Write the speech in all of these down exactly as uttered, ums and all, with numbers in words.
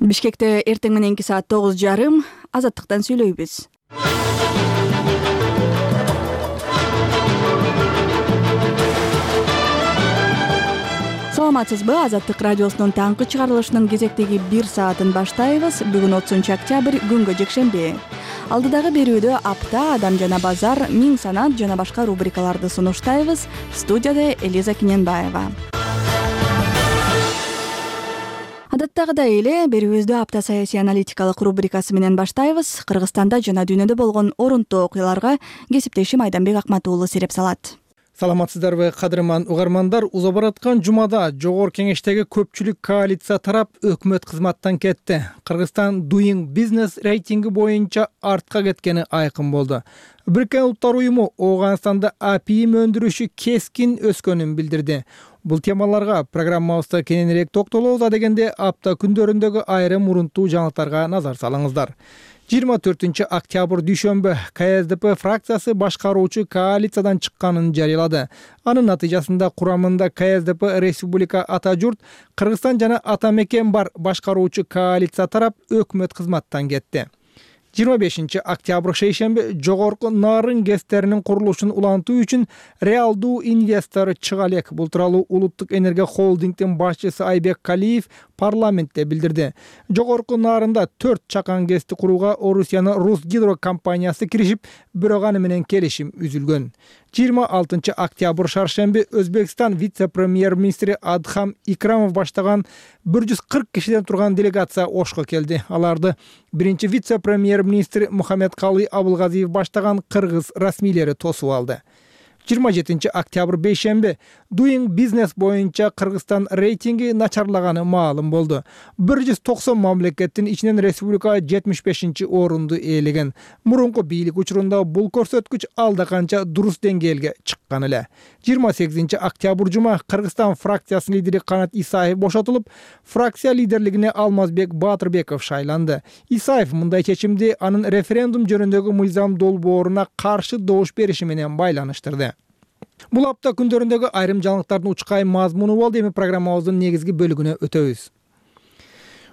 Бишкекте эртең мененки саат тогуз жарым Азаттыктан сүйлөйбүз. Саламатсызбы? Азаттык радиосунун таңкы чыгарылышынын кезектеги бир саатын баштайбыз. Бүгүн отузунчу октябрь, күнгө жекшемби. Алдыдагы берүүдө апта, адам жана базар, миң санат жана башка рубрикаларды сунуштайбыз. Студияда Элиза Киненбаева. Адаттагыдай эле берүүбүздү апта саясий аналитикалык рубрикасы менен баштайбыз. Кыргызстанда жана дүйнөдө болгон орунтуу окуяларга кесиптешим Айданбек Акматуулу сереп салат. Саламатсыздарбы, кадырман угармандар? Уза бараткан жумада Жогорку Кеңештеги көпчүлүк коалиция тарап өкмөт кызматтан кетти. Кыргызстан Doing Business рейтинги боюнча артка кеткени айкын болду. Бириккен Улуттар уюму Ооганстанда апийим өндүрүшү кескин өскөнүн билдирди. Бул темаларга программабызда кененирээк токтолобуз. Адегенде апта күндөрүндөгү айрым урунтуу жаңылыктарга назар салыңыздар. жыйырма төртүнчү октябрь дүйшөмбү КСДП фракциясы башкаруучу коалициядан чыкканын жарыялады. Анын натыйжасында курамында КСДП Республика Ата журт, Кыргызстан жана Ата мекен бар башкаруучу коалиция тарап өкмөт кызматтан кетти. жыйырма бешинчи октябрь шейшемби Жогорку Нарын ГЭСтеринин курулушун улантуу үчүн реалдуу инвестор чыга элек. Бул тууралуу Улуттук энергия холдингдин башчысы Айбек Калиев парламентте билдирди. Жогорку Нарында төрт чакан ГЭСти курууга Орусиянын Русгидро компаниясы киришип, бирок аны менен келишим үзүлгөн. жыйырма алтынчы октябрь шаршемби Өзбекстан вице-премьер-министри Адхам Икрамов баштаган бир жүз кырк кишиден турган делегация Ошко келди. Аларды биринчи вице-премьер-министр Мухаммедкалый Абылгазиев баштаган кыргыз расмийлери тосуп алды. жыйырма жетинчи октябрь бейшемби Doing Business боюнча Кыргызстан рейтинги начарлаганы маалым болду. бир жүз токсон мамлекеттин ичинен республика жетимиш бешинчи орунду ээлеген. Мурунку бийлик учурунда бул көрсөткүч алда канча дурус деңгээлге чыккан эле. жыйырма сегизинчи октябрь жума Кыргызстан фракциясынын лидери Канат Исаев бошотулуп, фракция лидерлигине Алмазбек Баатырбеков шайланды. Исаев мындай чечимди анын референдум жөнүндөгү мыйзам долбооруна каршы добуш бериши менен байланыштырды. Бул апта күндөрүндөгү айрым жаңылыктардын учкай мазмуну болду. Эми программабыздын негизги бөлүгүнө өтөбүз.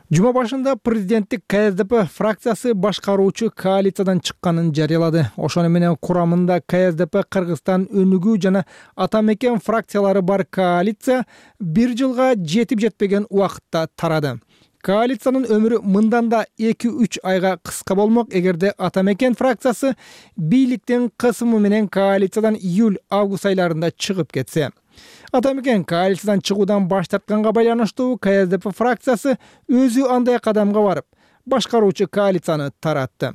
Жума башында президенттик КСДП фракциясы башкаруучу коалициядан чыкканын жарыялады. Ошону менен курамында КСДП Кыргызстан Өнүгүү жана Ата мекен фракциялары бар коалиция бир жылга жетип жетпеген убакытта тарады. Коалициянын өмүрү мындан да эки үч айга кыска болмок эгерде Ата мекен фракциясы бийликтин кысымы менен коалициядан июль-август айларында чыгып кетсе. Ата мекен коалициядан чыгуудан баш тартканга байланыштуу КСДП фракциясы өзү андай кадамга барып, башкаруучу коалицияны таратты.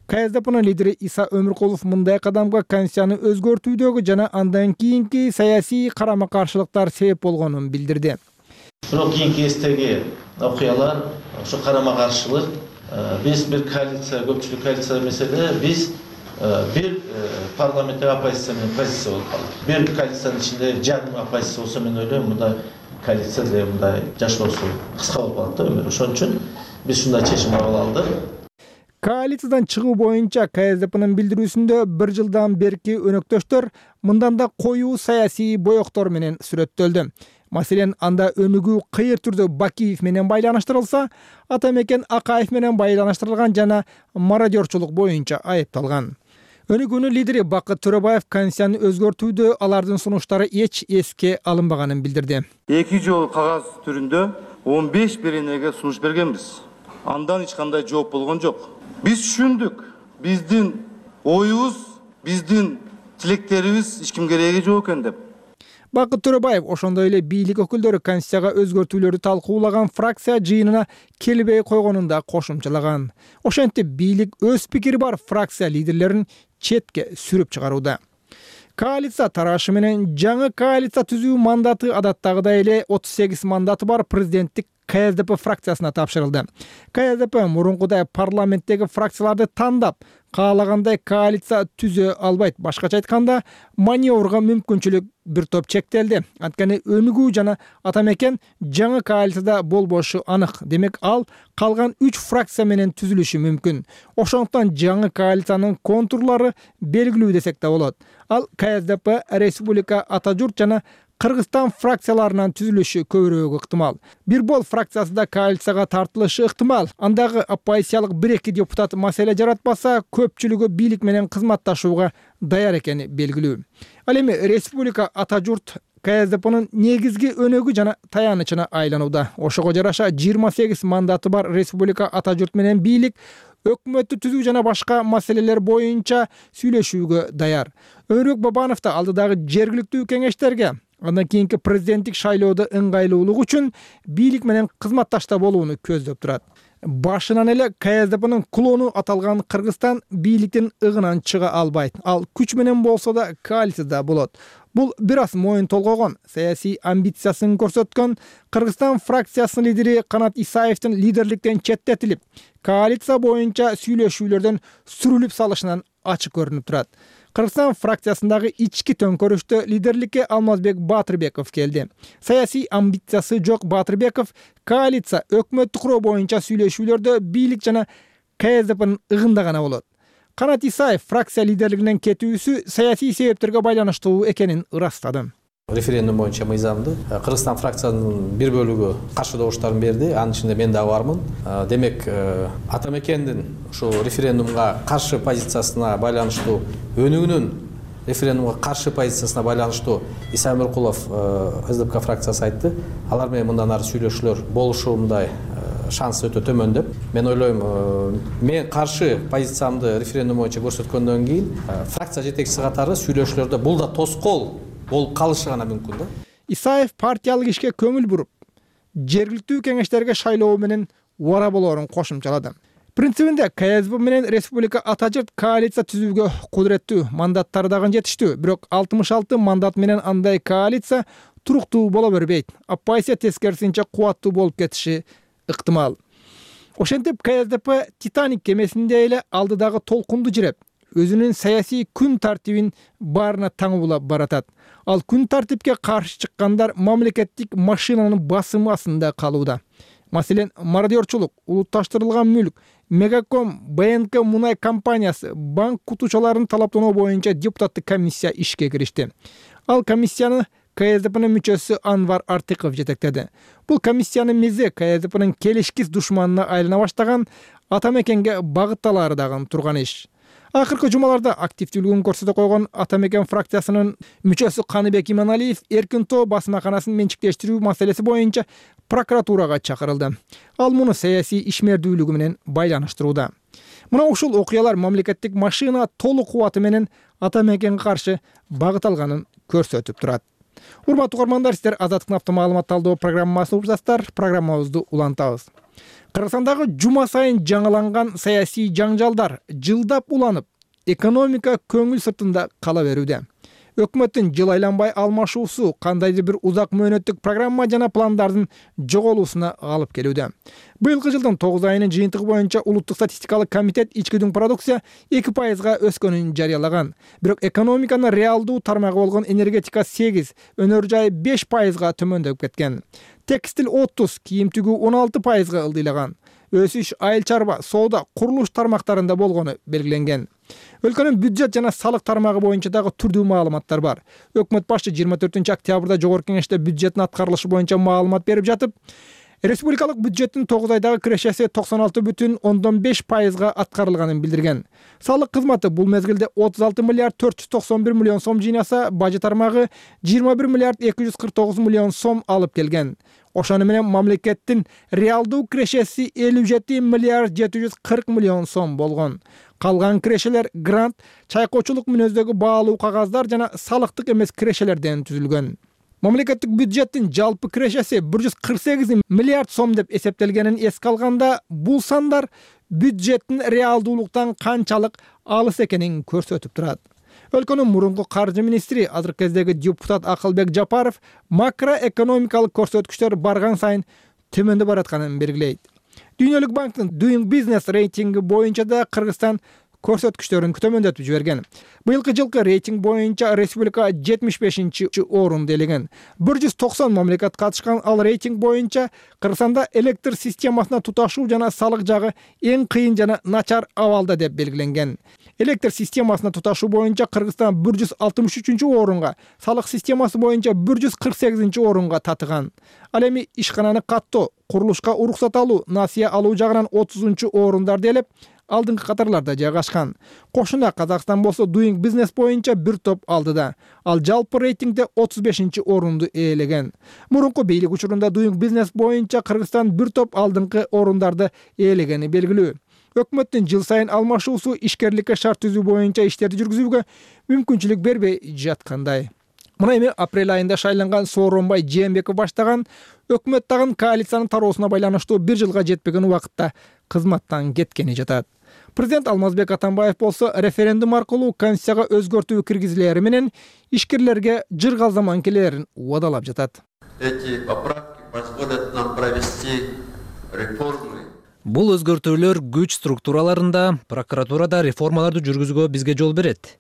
КСДПнын лидери Иса Өмүркулов мындай кадамга конституцияны өзгөртүүдөгү жана андан кийинки саясий карама-каршылыктар себеп болгонун билдирди. Бирок кийинки кездеги окуялар, ошо карама-каршылык, биз бир коалиция, көпчүлүк коалиция эмес эле, биз бир парламенттик оппозиция менен позиция болуп калдык. Бир коалициянын ичинде жарым оппозиция болсо, мен ойлойм, мындай коалиция деле мындай жашоосу кыска болуп калат да өмүрү. Ошон үчүн биз ушундай чечим кабыл алдык. Коалициядан чыгуу боюнча КСДПнын билдирүүсүндө бир жылдан берки өнөктөштөр мындан да коюу саясий боектор менен сүрөттөлдү. Маселен, анда өнүгүү кыйыр түрдө Бакиев менен байланыштырылса, Ата мекен Акаев менен байланыштырылган жана мародерчулук боюнча айыпталган. Өнүгүүнүн лидери Бакыт Төрөбаев конституцияны өзгөртүүдө алардын сунуштары эч эске алынбаганын билдирди. Эки жол кагаз түрүндө он беш беренеге сунуш бергенбиз. Андан эч кандай жооп болгон жок. Биз түшүндүк, биздин оюбуз, биздин тилектерибиз эч кимге кереги жок экен деп. Бакыт Төрөбаев ошондой эле бийлик өкүлдөрү конституцияга өзгөртүүлөрдү талкуулаган фракция жыйынына келбей койгонун да кошумчалаган. Ошентип бийлик өз пикири бар фракция лидерлерин четке сүрүп чыгарууда. Коалиция тарашы менен жаңы коалиция түзүү мандаты адаттагыдай эле отуз сегиз мандаты бар президенттик КСДП фракциясына тапшырылды. КСДП мурункудай парламенттеги фракцияларды тандап, каалагандай коалиция түзө албайт. Башкача айтканда, маневрга мүмкүнчүлүк бир топ чектелди. Анткени Өнүгүү жана Ата мекен жаңы коалицияда болбошу анык. Демек, ал калган үч фракция менен түзүлүшү мүмкүн. Ошондуктан жаңы коалициянын контурлары белгилүү десек да болот. Ал КСДП, Республика Ата журт жана Кыргызстан фракцияларынын түзүлүшү көбүрөөк ыктымал. Бир бол фракциясы да коалицияга тартылышы ыктымал. Андагы оппозициялык бир-эки депутат маселе жаратпаса, көпчүлүгү бийлик менен кызматташууга даяр экени белгилүү. Ал эми республика ата журт КСДПнын негизги өнөгү жана таянычына айланууда. Ошого жараша жыйырма сегиз мандаты бар республика ата журт менен бийлик өкмөттү түзүү жана башка маселелер боюнча сүйлөшүүгө даяр. Өмүрбек Бабанов да алдыдагы жергиликтүү кеңештерге, андан кийинки президенттик шайлоодо ыңгайлуулук үчүн бийлик менен кызматташта болууну көздөп турат. Башынан эле КСДПнын клону аталган Кыргызстан бийликтин ыгынан чыга албайт. Ал күч менен болсо да коалицияда болот. Бул бир аз моюн толгогон, саясий амбициясын көрсөткөн Кыргызстан фракциясынын лидери Канат Исаевдин лидерликтен четтетилип, коалиция боюнча сүйлөшүүлөрдөн сүрүлүп салышынан ачык көрүнүп турат. Кыргызстан фракциясындагы ички төңкөрүштө лидерликке Алмазбек Батырбеков келди. Саясий амбициясы жок Батырбеков коалиция өкмөттү куруу боюнча сүйлөшүүлөрдө бийлик жана КСДПнын ыгында гана болот. Канат Исаев фракция лидерлигинен кетүүсү саясий себептерге байланыштуу экенин ырастады. Референдум боюнча мыйзамды Кыргызстан фракциянын бир бөлүгү каршы добуштарын берди. Анын ичинде мен дагы бармын. Демек, ата мекендин ушул референдумга каршы позициясына байланыштуу өнүгүнүн референдумга каршы позициясына байланыштуу Иса Өмөркулов СДПК фракциясы айтты. Алар менен мындан ары сүйлөшүүлөр болушундай шанс өтө төмөн деп. Мен ойлойм, мен каршы позициямды референдум боюнча көрсөткөндөн кийин фракция жетекчиси катары сүйлөшүүлөрдө бул да тоскоол болуп калышы гана мүмкүн да. Исаев партиялык ишке көңүл буруп, жергиликтүү кеңештерге шайлоо менен убара болоорун кошумчалады. Принцибинде КСДП менен республика ата журт коалиция түзүүгө кудуреттүү, мандаттары дагы жетиштүү. Бирок алтымыш алты мандат менен андай коалиция туруктуу боло бербейт. Оппозиция тескерисинче кубаттуу болуп кетиши ыктымал. Ошентип КСДП Титаник кемесинде эле алдыдагы толкунду жиреп, өзүнүн саясий күн тартибин баарына таңуулап баратат. Ал күн тартипке каршы чыккандар мамлекеттик машинанын басымы астында калууда. Маселен, мародерчулук, улутташтырылган мүлк, Мегаком, БНК мунай компаниясы, банк кутучаларын талаптануу боюнча депутаттык комиссия ишке киришти. Ал комиссияны КСДПнын мүчөсү Анвар Артыков жетектеди. Бул комиссиянын мизи КСДПнын келишкис душманына айлана баштаган, ата мекенге багытталары дагы турган иш. Акыркы жумаларда активдүүлүгүн көрсөтө койгон ата мекен фракциясынын мүчөсү Каныбек Иманалиев эркин тоо басмаканасын менчиктештирүү маселеси боюнча прокуратурага чакырылды. Ал муну саясий ишмердүүлүгү менен байланыштырууда. Мына ушул окуялар мамлекеттик машина толук кубаты менен ата мекенге каршы багыт алганын көрсөтүп турат. Урматтуу угармандар, сиздер Азаттыктын автомаалымат талдоо программасын угуп жатасыздар. Программабызды улантабыз. Кыргызстандагы жума сайын жаңыланган саясий жаңжалдар жылдап уланып, экономика көңүл сыртында кала берүүдө. Өкмөттүн жыл айланбай алмашуусу кандайдыр бир узак мөөнөттүк программа жана пландардын жоголуусуна алып келүүдө. Быйылкы жылдын тогуз айынын жыйынтыгы боюнча улуттук статистикалык комитет ички продукция эки пайызга өскөнүн жарыялаган. Бирок экономиканын реалдуу тармагы болгон энергетика сегиз, өнөр жай беш пайызга төмөндөп кеткен. Текстил отуз, кийим тигүү он алты пайызга ылдыйлаган. Өсүш айыл чарба, соода, курулуш тармактарында болгону белгиленген. Өлкөнүн бюджет жана салык тармагы боюнча дагы түрдүү маалыматтар бар. Өкмөт башчы жыйырма төртүнчү октябрда жогорку кеңеште бюджеттин аткарылышы боюнча маалымат берип жатып, республикалык бюджеттин тогуз айдагы кирешеси токсон алты бүтүн ондон беш пайызга аткарылганын билдирген. Салык кызматы бул мезгилде отуз алты миллиард төрт жүз токсон бир миллион сом жыйнаса, бажы тармагы жыйырма бир миллиард эки жүз кырк тогуз миллион сом алып келген. Ошону менен мамлекеттин реалдуу кирешеси элүү жети миллиард жети жүз кырк миллион сом болгон. Калган кирешелер грант, чайкоочулук мүнөздөгү баалуу кагаздар жана салыктык эмес кирешелерден түзүлгөн. Мамлекеттик бюджеттин жалпы кирешеси бир жүз кырк сегиз миллиард сом деп эсептелгенин эске алганда, бул сандар бюджеттин реалдуулуктан канчалык алыс экенин көрсөтүп турат. Өлкөнүн мурунку каржы министри, азыркы кездеги депутат Акылбек Жапаров макроэкономикалык көрсөткүчтөр барган сайын төмөндөп баратканын белгилейт. Дүйнөлүк банктын Doing Business рейтинги боюнча да Кыргызстан көрсөткүчтөрүн төмөндөтүп жиберген. Быйылкы жылкы рейтинг боюнча республика жетимиш бешинчи орунду ээлеген. бир жүз токсон мамлекет катышкан ал рейтинг боюнча Кыргызстанда электр системасына туташуу жана салык жагы эң кыйын жана начар абалда деп белгиленген. Электр системасына туташуу боюнча Кыргызстан бир жүз алтымыш үчүнчү орунга, салык системасы боюнча бир жүз кырк сегизинчи орунга татыган. Ал эми ишкананы каттоо, курулушка уруксат алуу, насыя алуу жагынан отузунчу орундарда элеп, алдыңкы катарларда жайгашкан. Кошуна Казакстан болсо Doing Business боюнча бир топ алдыда. Ал жалпы рейтингде отуз бешинчи орунду ээлеген. Мурунку бийлик учурунда Doing Business боюнча Кыргызстан бир топ алдыңкы орундарды ээлегени белгилүү. Өкмөттүн жыл сайын алмашуусу ишкерликке шарт түзүү боюнча иштерди жүргүзүүгө мүмкүнчүлүк бербей жаткандай. Мына эми апрель айында шайланган Сооронбай Жээнбеков баштаган өкмөт тагын коалициянын тароосуна байланыштуу бир жылга жетпеген убакытта кызматтан кеткени жатат. Президент Алмазбек Атамбаев болсо референдум аркылуу Конституцияга өзгөртүү киргизилери менен ишкерлерге жыргал заман келерин убадалап жатат. Эти поправки позволят нам провести реформы. Бул өзгөртүүлөр күч структураларында, прокуратурада реформаларды жүргүзүүгө бизге жол берет.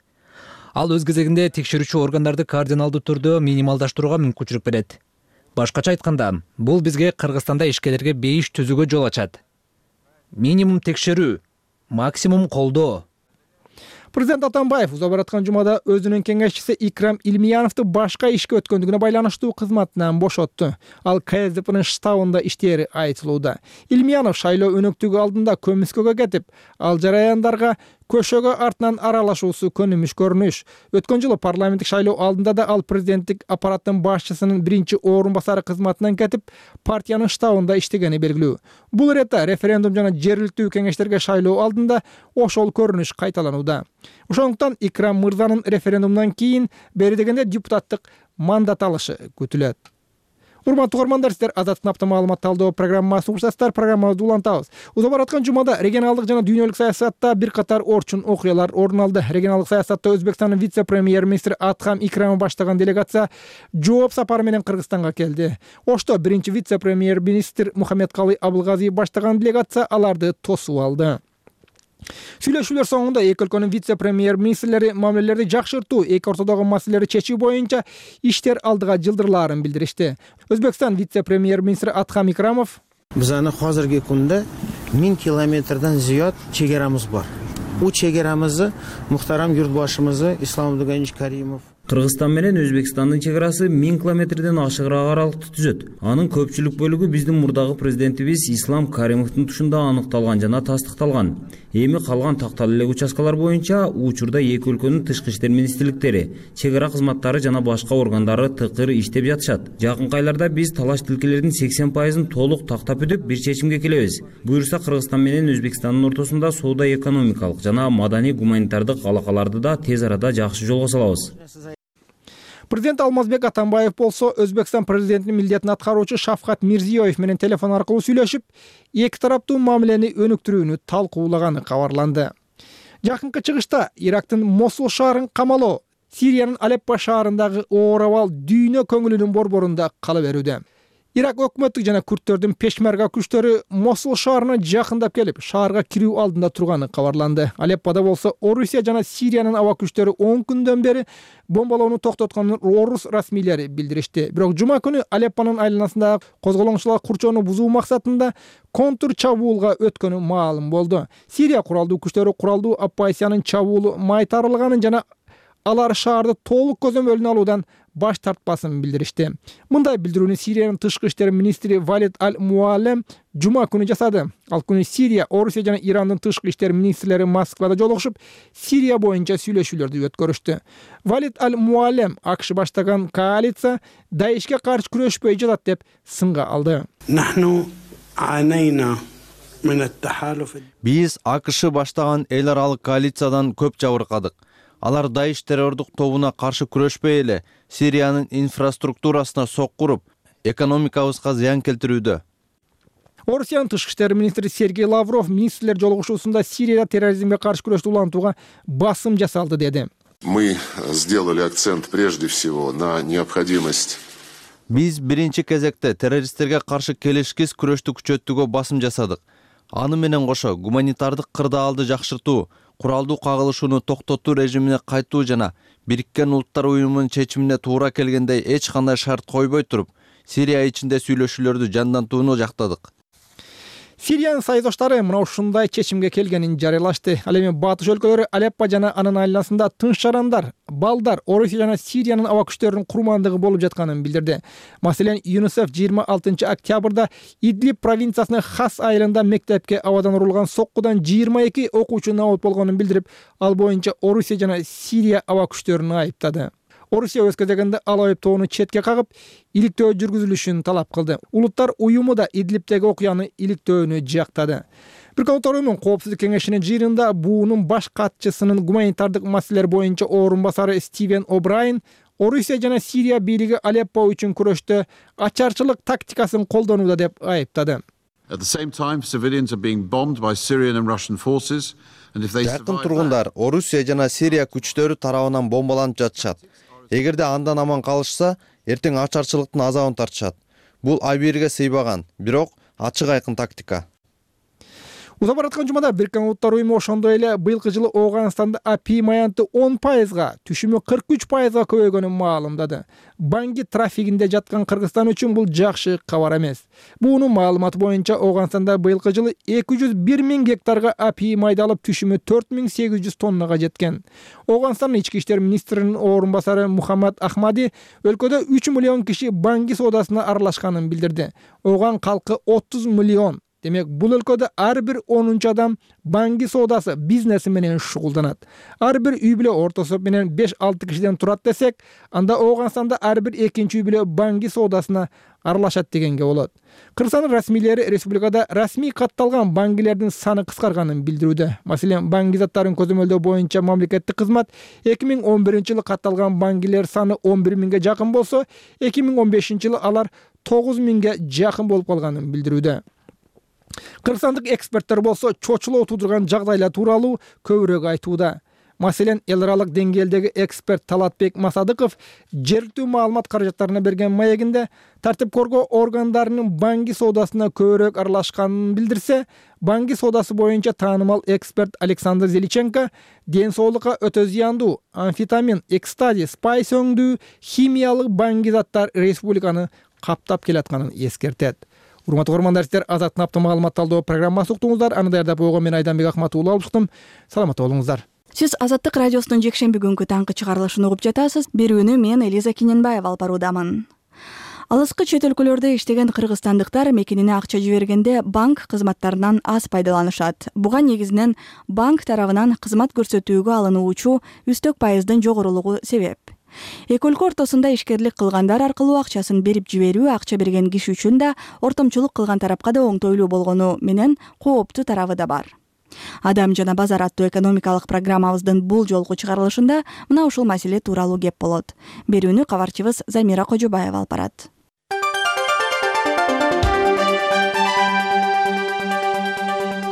Ал өз кезегинде текшерүүчү органдарды кардиналдуу түрдө минималдаштырууга мүмкүнчүлүк берет. Башкача айтканда, бул бизге Кыргызстанда ишкерлерге бейиш түзүүгө жол ачат. Минимум текшерүү, максимум колдоо. Президент Атамбаев уза бараткан жумада өзүнүн кеңешчиси Икрам Илмияновду башка ишке өткөндүгүнө байланыштуу кызматынан бошотту. Ал Ка Эс Де П'нын штабында иштери айтылууда. Илмиянов шайлоо өнөктүгү алдында көмүскөгө кетип, ал жараяндарга көшөгө артынан аралашуусу көнүмүш көрүнүш. Өткөн жылы парламенттик шайлоо алдында да ал президенттик аппараттын башчысынын биринчи орун басары кызматынан кетип, партиянын штабында иштегени белгилүү. Бул иретте референдум жана жергиликтүү кеңештерге шайлоо алдында ошол көрүнүш кайталанууда. Ошондуктан Икрам мырзанын референдумдан кийин бери дегенде депутаттык мандат алышы күтүлөт. Урматтуу угармандар, сиздер Азаттык апта маалымат талдоо программасын угушасыздар. Программабызды улантабыз. Уза бараткан жумада регионалдык жана дүйнөлүк саясатта бир катар орчун окуялар орун алды. Регионалдык саясатта Өзбекстандын вице-премьер-министри Атхам Икрамов баштаган делегация жооп сапары менен Кыргызстанга келди. Ошто биринчи вице-премьер-министр Мухаммедкалый Абылгазиев баштаган делегация аларды тосуп алды. Сүйлөшүүлөр соңунда эки өлкөнүн вице-премьер-министрлери мамилелерди жакшыртуу, эки ортодогу маселелерди чечүү боюнча иштер алдыга жылдырлаарын билдиришти. Өзбекстан вице-премьер-министри Атхам Икрамов: Биздин азыркы күндө миң километрден зыяд чегерамыз бар. Бул чегерамызды мухтарам юртбашыбыз Ислам Абдыганович Каримов Кыргызстан менен Өзбекстандын чек-арасы миң километрден ашыгыраак аралыкты түзөт. Анын көпчүлүк бөлүгү биздин мурдагы президентибиз Ислам Каримовдун тушунда аныкталган жана тастыкталган. Эми калган такталуу эле участкалар боюнча учурда эки өлкөнүн тышкы иштер министрликтери, чек-ара кызматтары жана башка органдары тыкыр иштеп жатышат. Жакынкы айларда биз талаш тилкелердин сексен пайызын толук тактап бүтүп, бир чечимге келебиз. Буюрса Кыргызстан менен Өзбекстандын ортосунда соода экономикалык жана маданий гуманитардык алакаларды да тез арада жакшы жолго салабыз. Президент Алмазбек Атамбаев болсо Өзбекстан президентинин милдетин аткаруучу Шавкат Мирзиёев менен телефон аркылуу сүйлөшүп, эки тараптуу мамилени өнүктүрүүнү талкуулаганы кабарланды. Жакынкы чыгышта Ирактын Мосул шаарын камалоо, Сириянын Алеппо шаарындагы оор абал дүйнө көңүлүнүн борборунда кала берүүдө. Ирак өкмөттүк жана күрттөрдүн пешмерга күчтөрү Мосул шаарына жакындап келип, шаарга кирүү алдында турганы кабарланды. Алеппода болсо Орусия жана Сириянын аба күчтөрү он күндөн бери бомбалоону токтотконун орус расмийлери билдиришти. Бирок жума күнү Алеппонун айланасындагы козголоңчулар курчоону бузуу максатында контур чабуулга өткөнү маалым болду. Сирия куралдуу күчтөрү куралдуу оппозициянын чабуулу майтарылганын жана алар шаарды толук көзөмөлүнө алуудан баш тартпасын билдиришти. Мындай билдирүүнү Сириянын тышкы иштер министри Валид Аль-Муалем жума күнү жасады. Ал күнү Сирия, Орусия жана Ирандын тышкы иштер министрлери Москвада жолугушуп, Сирия боюнча сүйлөшүүлөрдү өткөрүштү. Валид Аль-Муалем АКШ баштаган коалиция Даишке каршы күрөшпөй жатат деп сынга алды. Биз АКШ баштаган эл аралык коалициядан көп жабыркадык. Алар Даиш террордук тобуна каршы күрөшпөй эле Сириянын инфраструктурасына соккуруп, экономикабызга зыян келтирүүдө. Орусиянын тышкы иштер министри Сергей Лавров министрлер жолугушуусунда Сирияда терроризмге каршы күрөштү улантууга басым жасалды деди. Мы сделали акцент прежде всего на необходимость. Биз биринчи кезекте террористтерге каршы келишкис күрөштү күчөтүүгө басым жасадык. Аны менен кошо гуманитардык кырдаалды жакшыртуу, куралдуу кагылышууну токтотуу режимине кайтуу жана Бириккен Улуттар Уюмунун чечимине туура келгендей эч кандай шарт койбой туруп, Сирия ичинде сүйлөшүүлөрдү жандантууну жактадык. Сириянын союздаштары мына ушундай чечимге келгенин жарыялашты. Ал эми батыш өлкөлөрү Алеппо жана анын айланасында тынч жарандар, балдар, Орусия жана Сириянын аба күчтөрүнүн курмандыгы болуп жатканын билдирди. Маселен, ЮНИСЕФ жыйырма алтынчы октябрда Идлиб провинциясынын Хас айылында мектепке абадан урулган соккудан жыйырма эки окуучу набат болгонун билдирип, ал боюнча Орусия жана Сирия аба күчтөрүн айыптады. Орусия өз кезегинде ал айыптоону четке кагып, иликтөө жүргүзүлүшүн талап кылды. Улуттар уюму да Идлибтеги окуяны иликтөөнү жактады. Бириккен Улуттар Уюмунун Коопсуздук кеңешинин жыйынында буунун баш катчысынын гуманитардык маселелер боюнча орун басары Стивен О'Брайен Орусия жана Сирия бийлиги Алеппо үчүн күрөштө ачарчылык тактикасын колдонууда деп айыптады. Жакын тургундар Орусия жана Сирия күчтөрү тарабынан бомбаланып жатышат. Эгерде андан аман калышса, эртең ачарчылыктын азабын тартышат. Бул абийирге сыйбаган, бирок ачык айкын тактика. Уза бараткан жумада Бириккен Улуттар Уюму ошондой эле быйылкы жылы Ооганстанда апий маянты он пайызга, түшүмү кырк үч пайызга көбөйгөнүн маалымдады. Банги трафигинде жаткан Кыргызстан үчүн бул жакшы кабар эмес. Буунун маалыматы боюнча Ооганстанда быйылкы жылы эки жүз бир миң гектарга апий майдалып, түшүмү төрт миң сегиз жүз тоннага жеткен. Ооганстандын ички иштер министринин орун басары Мухаммад Ахмади өлкөдө үч миллион киши банги соодасына аралашканын билдирди. Ооган калкы отуз миллион. Демек, бул өлкөдө ар бир онунчу адам банги соодасы бизнеси менен шугулданат. Ар бир үй бүлө ортосу менен беш алты кишиден турат десек, анда Ооганстанда ар бир экинчи үй бүлө банги соодасына аралашат дегенге болот. Кыргызстандын расмийлери республикада расмий катталган бангилердин саны кыскарганын билдирүүдө. Маселен, банги заттарын көзөмөлдөө боюнча мамлекеттик кызмат эки миң он биринчи жылы катталган бангилер саны он бир миңге жакын болсо, эки миң он бешинчи жылы алар тогуз миңге жакын болуп калганын билдирүүдө. Кыргызстандык эксперттер болсо чочулоо туудурган жагдайлар тууралуу көбүрөөк айтууда. Маселен, эл аралык деңгээлдеги эксперт Талатбек Масадыков жергиликтүү маалымат каражаттарына берген маегинде тартип коргоо органдарынын банги соодасына көбүрөөк аралашканын билдирсе, банги соодасы боюнча таанымал эксперт Александр Зеличенко ден соолукка өтө зыяндуу амфетамин, экстази, спайс өңдүү химиялык банги заттар республиканы каптап келатканын эскертет. Урматтуу көрөрмандар, сиздер Азаттын апта маалымат талдоо программасы уктуңуздар. Аны даярдап койгон мен Айданбек Акматов алып чыктым. Саламатта болуңуздар. Сиз Азаттык радиосунун жекшемби күнгү таңкы чыгарылышын угуп жатасыз. Берүүнү мен Элиза Киненбаева алып баруудамын. Алыскы чет өлкөлөрдө иштеген кыргызстандыктар мекенине акча жибергенде банк кызматтарынан аз пайдаланышат. Буга негизинен банк тарабынан кызмат көрсөтүүгө алынуучу үстөк пайыздын жогорулугу себеп. Эки өлкө ортосунда ишкерлик кылгандар аркылуу акчасын берип жиберүү акча берген киши үчүн да, ортомчулук кылган тарапка да оңтойлуу болгону менен кооптуу тарабы да бар. Адам жана базар аттуу экономикалык программабыздын бул жолку чыгарылышында мына ушул маселе тууралуу кеп болот. Берүүнү кабарчыбыз Замира Кожобаева алып барат.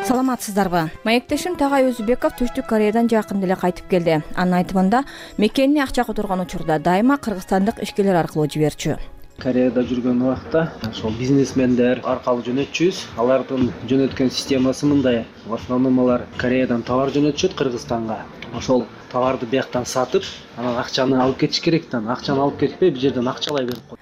Саламатсыздарбы? Маектешим Тагай Өзүбеков Түштүк Кореядан жакында эле кайтып келди. Анын айтымында, мекенине акча которгон учурда дайыма кыргызстандык ишкерлер аркылуу жиберчү. Кореяда жүргөн убакта ошол бизнесмендер аркылуу жөнөтчүбүз. Алардын жөнөткөн системасы мындай. В основном алар Кореядан товар жөнөтүшөт Кыргызстанга. Ошол товарды бияктан сатып, анан акчаны алып кетиш керек да. Акчаны алып кетпей, бул жерден акчалай берип коет.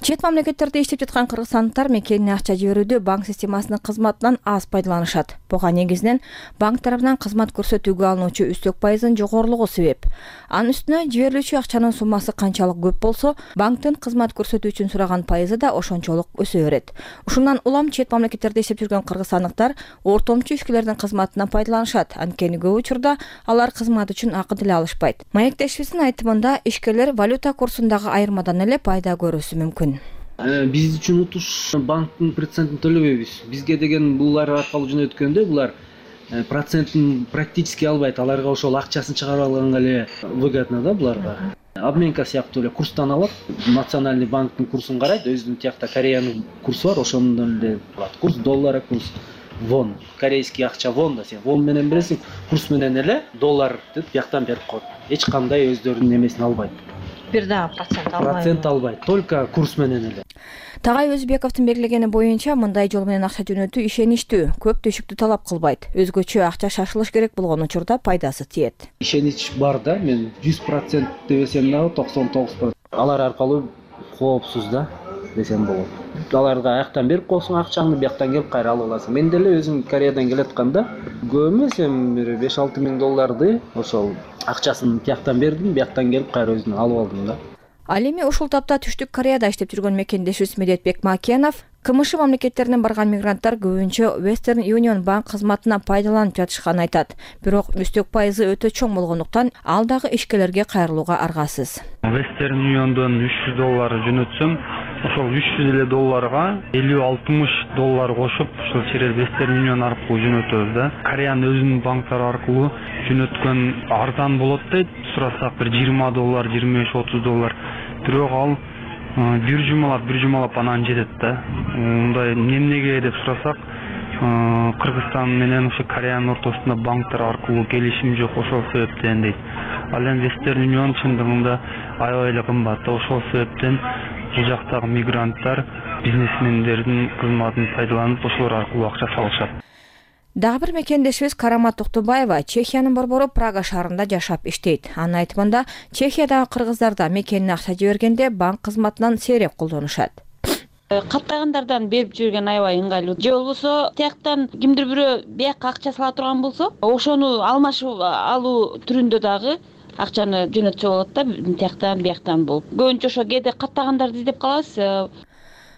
Чет мамлекеттерде иштеп жаткан кыргызстандыктар мекенине акча жиберүүдө банк системасынын кызматынан аз пайдаланышат. Буга негизинен банк тарабынан кызмат көрсөтүүгө алынуучу үстөк пайыздын жогорулугу себеп. Анын үстүнө жиберилүүчү акчанын суммасы канчалык көп болсо, банктын кызмат көрсөтүү үчүн сураган пайызы да ошончолук өсө берет. Ушундан улам чет мамлекеттерде иштеп жүргөн кыргызстандыктар ортомчу ишкерлердин кызматынан пайдаланышат. Анткени көп учурда алар кызмат үчүн акы деле алышпайт. Маектешибиздин айтымында, ишкерлер валюта курсундагы айырмадан эле пайда көрүүсү мүмкүн. Биз үчүн утуш банктын процентин төлөбөйбүз. Бизге деген булар аркылуу жөнөткөндө булар процентин практически албайт. Аларга ошол акчасын чыгарып алганга эле выгодно да буларга. Обменка сыяктуу эле курстан алат. Национальный банктын курсун карайт, өзүнүн тиякта Кореянын курсу бар, ошондон эле алат. Курс доллара, курс вон. Корейский акча вон да, сен вон менен бересиң, курс менен эле доллар деп бияктан берип коет. Эч кандай өздөрүнүн эмесин албайт. Бир да процент албайт. Процент албайт, только курс менен эле. Тагай Өзбековдун белгилегени боюнча мындай жол менен акча жөнөтүү ишеничтүү, көп төшүктү талап кылбайт. Өзгөчө акча шашылыш керек болгон учурда пайдасы тиет. Ишенич бар да, мен жүз процент десем дагы токсон тогуз процент. Алар аркылуу коопсуз да десем болот. Аларга аяктан берип коесуң акчаңды, бияктан келип кайра алып аласың. Мен деле өзүм Кореядан келатканда көп эмес эми бир беш алты миң долларды ошол акчасын тияктан бердим, бияктан келип кайра өзүм алып алдым да. Ал эми ушул тапта Түштүк Кореяда иштеп жүргөн мекендешибиз Медетбек Макенов КМШ мамлекеттеринен барган мигранттар көбүнчө Western Union банк кызматына пайдаланып жатышканын айтат. Бирок үстөк пайызы өтө чоң болгондуктан ал дагы ишкерлерге кайрылууга аргасыз. Western Union'дон үч жүз доллар жөнөтсөм, ошол үч жүз элүү долларга элүү алтымыш доллар кошуп, ошол через Western Union аркылуу жөнөтөбүз да. Кореянын өзүнүн банктары аркылуу жөнөткөн арзан болот дейт. Сурасак бир жыйырма доллар, жыйырма беш отуз доллар. Бирок ал бир жумалап, бир жумалап анан жетет да. Мындай эмнеге деп сурасак, Кыргызстан менен ошо Кореянын ортосунда банктар аркылуу келишим жок, ошол себептен дейт. Ал эми Western Union чындыгында аябай эле кымбат. Ошол себептен бул жактагы мигранттар бизнесмендердин кызматын пайдаланып, ошолор аркылуу акча салышат. Дагы бир мекендешибиз Карамат Токтубаева Чехиянын борбору Прага шаарында жашап иштейт. Анын айтымында, Чехиядагы кыргыздар да мекенине акча жибергенде банк кызматынан сейрек колдонушат. Каттагандардан берип жүргөн аябай ыңгайлуу. Же болбосо тияктан кимдир бирөө бияка акча сала турган болсо, ошону алмашып алуу түрүндө дагы акчаны жөнөтсө болот да, тияктан бияктан болуп. Көбүнчө ошо кээде каттагандарды издеп калабыз.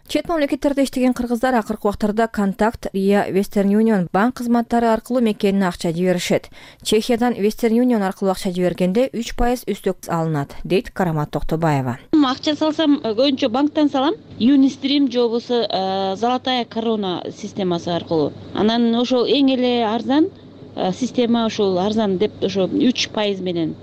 Чет мамлекеттерде иштеген кыргыздар акыркы убактарда Контакт, Ria, Western Union банк кызматтары аркылуу мекенине акча жиберишет. Чехиядан Western Union аркылуу акча жибергенде үч пайыз үстөк алынат, дейт Карамат Токтубаева. Акча салсам, көбүнчө банктан салам. Юнистрим же болбосо Золотая корона системасы аркылуу. Анан ошол эң эле арзан система, ошол арзан деп ошо үч пайыз менен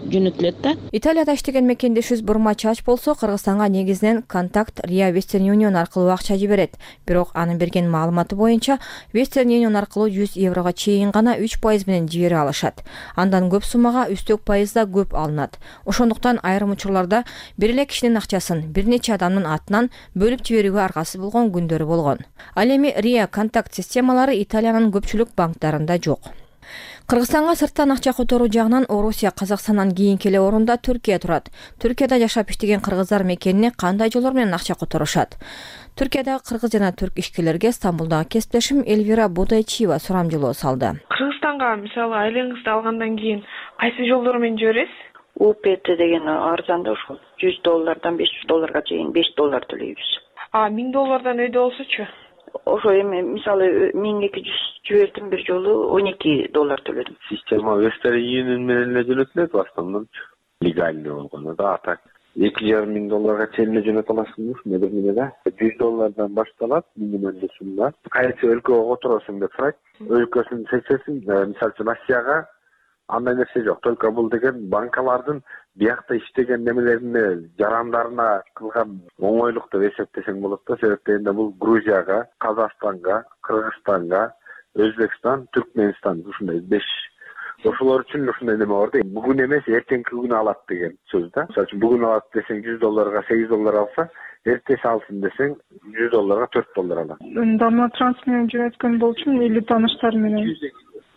жөнөтүлөт да. Италияда иштеген мекендешибиз Бурма Чач болсо Кыргызстанга негизинен Контакт, Ria, Western Union аркылуу акча жиберет. Бирок анын берген маалыматы боюнча Western Union аркылуу жүз еврого чейин гана үч пайыз менен жибере алышат. Андан көп суммага үстөк пайыз да көп алынат. Ошондуктан айрым учурларда бир эле кишинин акчасын бир нече адамдын атынан бөлүп жиберүүгө аргасыз болгон күндөрү болгон. Ал эми Ria, Контакт системалары Италиянын көпчүлүк банктарында жок. Кыргызстанга сырттан акча которуу жагынан Орусия Казакстандан кийинки эле орунда Түркия турат. Түркияда жашап иштеген кыргыздар мекенине кандай жолдор менен акча которушат? Түркиядагы кыргыз жана түрк ишкерлерге Стамбулдагы кесиптешим Эльвира Будайчиева сурамжылоо салды. Кыргызстанга мисалы айлыгыңызды алгандан кийин кайсы жолдор менен жибересиз? У П Т деген арзан да, ошол жүз доллардан беш жүз долларга чейин беш доллар төлөйбүз. А миң доллардан өйдө болсочу? Ошо эми мисалы миң эки жүз жибердим, бир жолу он эки доллар төлөдүм. Система Western Union менен эле жөнөтүлөт в основном, легальный болгону да. А так эки жарым миң долларга чейин эле жөнөтө аласың, медер менен да. жүз доллардан башталат минималдуу сумма. Кайсы өлкөгө которосуң деп сурайт. Өлкөсүн seçесиң, мисалы үчүн Россияга андай нерсе жок. Только бул деген банкалардын биякта иштеген немелерине, жарандарына кылган оңойлук деп эсептесең болот да. Себептен бул Грузияга, Казакстанга, Кыргызстанга, Өзбекстан, Түркменстан ушундай беш. Ошолор үчүн ушундай неме бар да. Бүгүн эмес, эртеңки күнү алат деген сөз да. Мисалы үчүн бүгүн алат десең жүз долларга сегиз доллар алса, эртеси алсын десең жүз долларга төрт доллар алат. Дамлатранс менен жөнөткөн болчумун или тааныштар менен?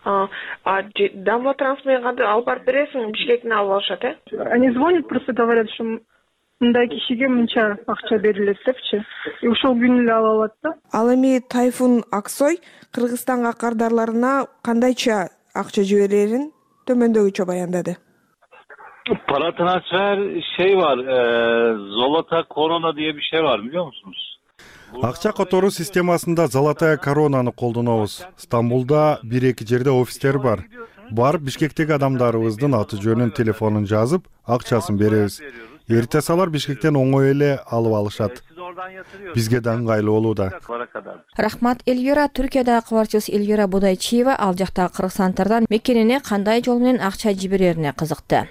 А, а Дамлатранс менен кантип алып барып бересиң, Бишкектен алып алышат, э? Они звонят, просто говорят, что мындай кишиге мынча акча берилет депчи. И ошол күнү эле ала алат да. Ал эми Тайфун Аксой Кыргызстанга кардарларына кандайча акча жиберерин төмөндөгүчө баяндады. Para transfer şey var, e, Zolota Korona diye bir şey var, biliyor musunuz? Акча которуу системасында Золотая коронаны колдонобуз. Стамбулда бир эки жерде офистер бар. Барып Бишкектеги адамдарыбыздын аты жөнүн, телефонун жазып, акчасын беребиз. Эртеси алар Бишкектен оңой эле алып алышат. Бизге да ыңгайлуу болууда. Рахмат Эльвира. Түркиядагы кабарчыбыз Эльвира Будайчиева ал жактагы кыргызстандардын мекенине кандай жол менен акча жиберерине кызыкты.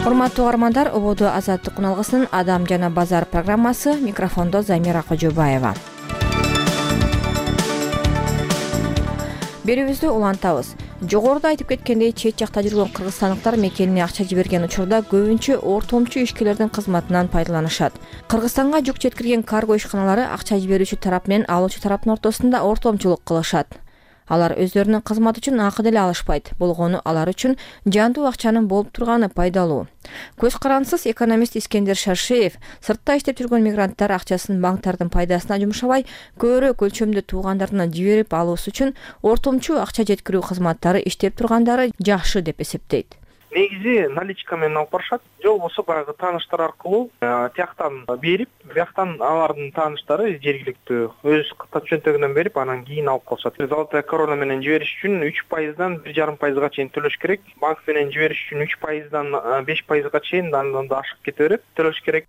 Урматтуу угармандар, ободу Азаттык куналгысынын Адам жана базар программасы, микрофондо Замира Кожобаева. Берүүбүздү улантабыз. Жогоруда айтып кеткендей, чет жакта жүргөн кыргызстандыктар мекенине акча жиберген учурда көбүнчө ортомчу ишкерлердин кызматынан пайдаланышат. Кыргызстанга жүк жеткирген карго ишканалары акча жиберүүчү тарап менен алуучу тараптын ортосунда ортомчулук кылышат. Алар өздөрүнүн кызматы үчүн акы деле алышпайт. Болгону алар үчүн жандуу акчанын болуп турганы пайдалуу. Көз карансыз экономист Искендер Шаршеев сыртта иштеп жүргөн мигранттар акчасын банктардын пайдасына жумшабай, көбүрөөк өлчөмдө туугандарына жиберип алуусу үчүн ортомчу акча жеткирүү кызматтары иштеп тургандары жакшы деп эсептейт. Негизи наличка менен алып барышат, же болбосо баягы тааныштар аркылуу тияктан берип, бияктан алардын тааныштары жергиликтүү өз чөнтөгүнөн берип, анан кийин алып калышат. Золотая корона менен жибериш үчүн үч пайыздан бир жарым пайызга чейин төлөш керек. Банк менен жибериш үчүн үч пайыздан беш пайызга чейин андан да ашып кете берет, төлөш керек.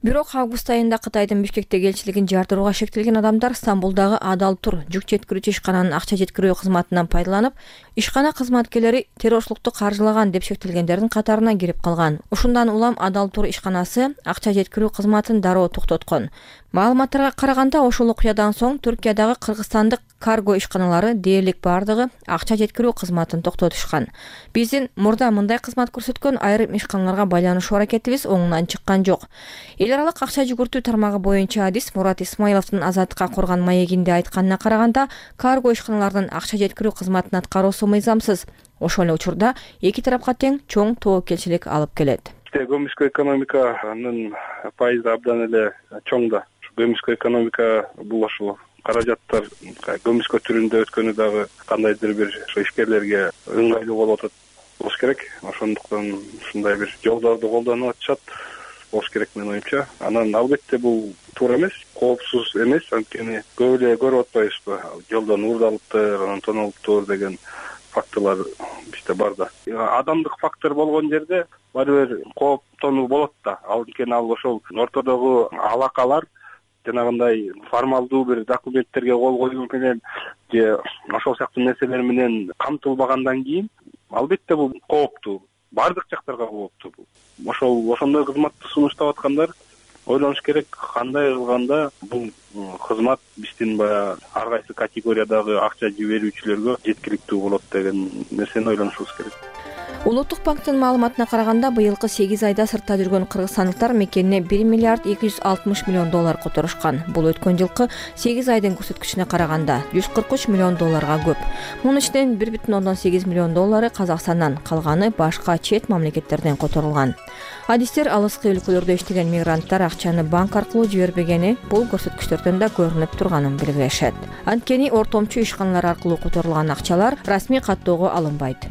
Бирок август айында Кытайдын Бишкектеги элчилигин жардырууга шектелген адамдар Стамбулдагы Адал Тур жүк жеткирүүчү ишкананын акча жеткирүү кызматынан пайдаланып, ишкана кызматкерлери террорчулукту каржылаган деп шектелгендердин катарына кирип калган. Ушундан улам Адал Тур ишканасы акча жеткирүү кызматын дароо токтоткон. Маалыматтарга караганда, ошол окуядан соң Түркиядагы кыргызстандык карго ишканалары дээрлик бардыгы акча жеткирүү кызматын токтотушкан. Биздин мурда мындай кызмат көрсөткөн айрым ишканаларга байланышуу аракетибиз оңунан чыккан жок. Эл аралык акча жүгүртүү тармагы боюнча адис Мурат Исмаиловдун Азаттыкка коргон маегинде айтканына караганда, карго ишканалардын акча жеткирүү кызматын аткаруусу мыйзамсыз. Ошол эле учурда эки тарапка тең чоң тоокелчилик алып келет. Көмүскө экономиканын пайызы абдан эле чоң да. Көмүскө экономика бул ошол каражаттар көмүскө түрүндө өткөнү дагы кандайдыр бир ишкерлерге ыңгайлуу болуп атат болуш керек. Ошондуктан ушундай бир жолдорду колдонуп атышат болуш керек менин оюмча. Анан албетте бул туура эмес, коопсуз эмес, анткени көп эле көрүп атпайбызбы, жолдон уурдалыптыр, анан тоналыптыр деген факторлор бизде бар да. Адамдык фактор болгон жерде баары бир кооптонуу болот да. Анткени ал ошол ортодогу алакалар жанагындай формалдуу бир документтерге кол коюу менен же ошол сыяктуу нерселер менен камтылбагандан кийин албетте бул кооптуу. Бардык жактарга кооптуу. Ошол ошондой кызматты сунуштап аткандар ойлонуш керек, кандай кылганда бул кызмат биздин баягы ар кайсы категориядагы акча жиберүүчүлөргө жеткиликтүү болот деген нерсени ойлонушубуз керек. Улуттук банктын маалыматына караганда, быйылкы сегиз айда сыртта жүргөн кыргызстандыктар мекенине бир миллиард эки жүз алтымыш миллион доллар которушкан. Бул өткөн жылкы сегиз айдын көрсөткүчүнө караганда жүз кырк үч миллион долларга көп. Мунун ичинен бир бүтүн ондон сегиз миллион доллары Казакстандан, калганы башка чет мамлекеттерден которулган. Адистер алыскы өлкөлөрдө иштеген мигранттар акчаны банк аркылуу жибербегени бул көрсөткүчтөрдөн да көрүнүп турганын белгилешет. Анткени ортомчу ишканалар аркылуу которулган акчалар расмий каттоого алынбайт.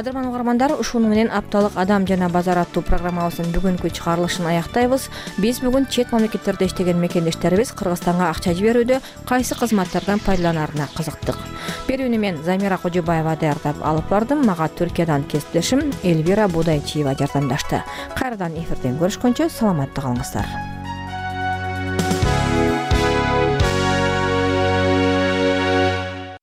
Кадырман угармандар, ушуну менен апталык Адам жана базар аттуу программабыздын бүгүнкү чыгарылышын аяктайбыз. Биз бүгүн чет мамлекеттерде иштеген мекендештерибиз Кыргызстанга акча жиберүүдө кайсы кызматтардан пайдаланарына кызыктык. Берүүнү мен Замира Кожобаева даярдап алып бардым. Мага Түркиядан кесиптешим Эльвира Будайчиева жардамдашты. Кайрадан эфирден көрүшкөнчө саламатта калыңыздар.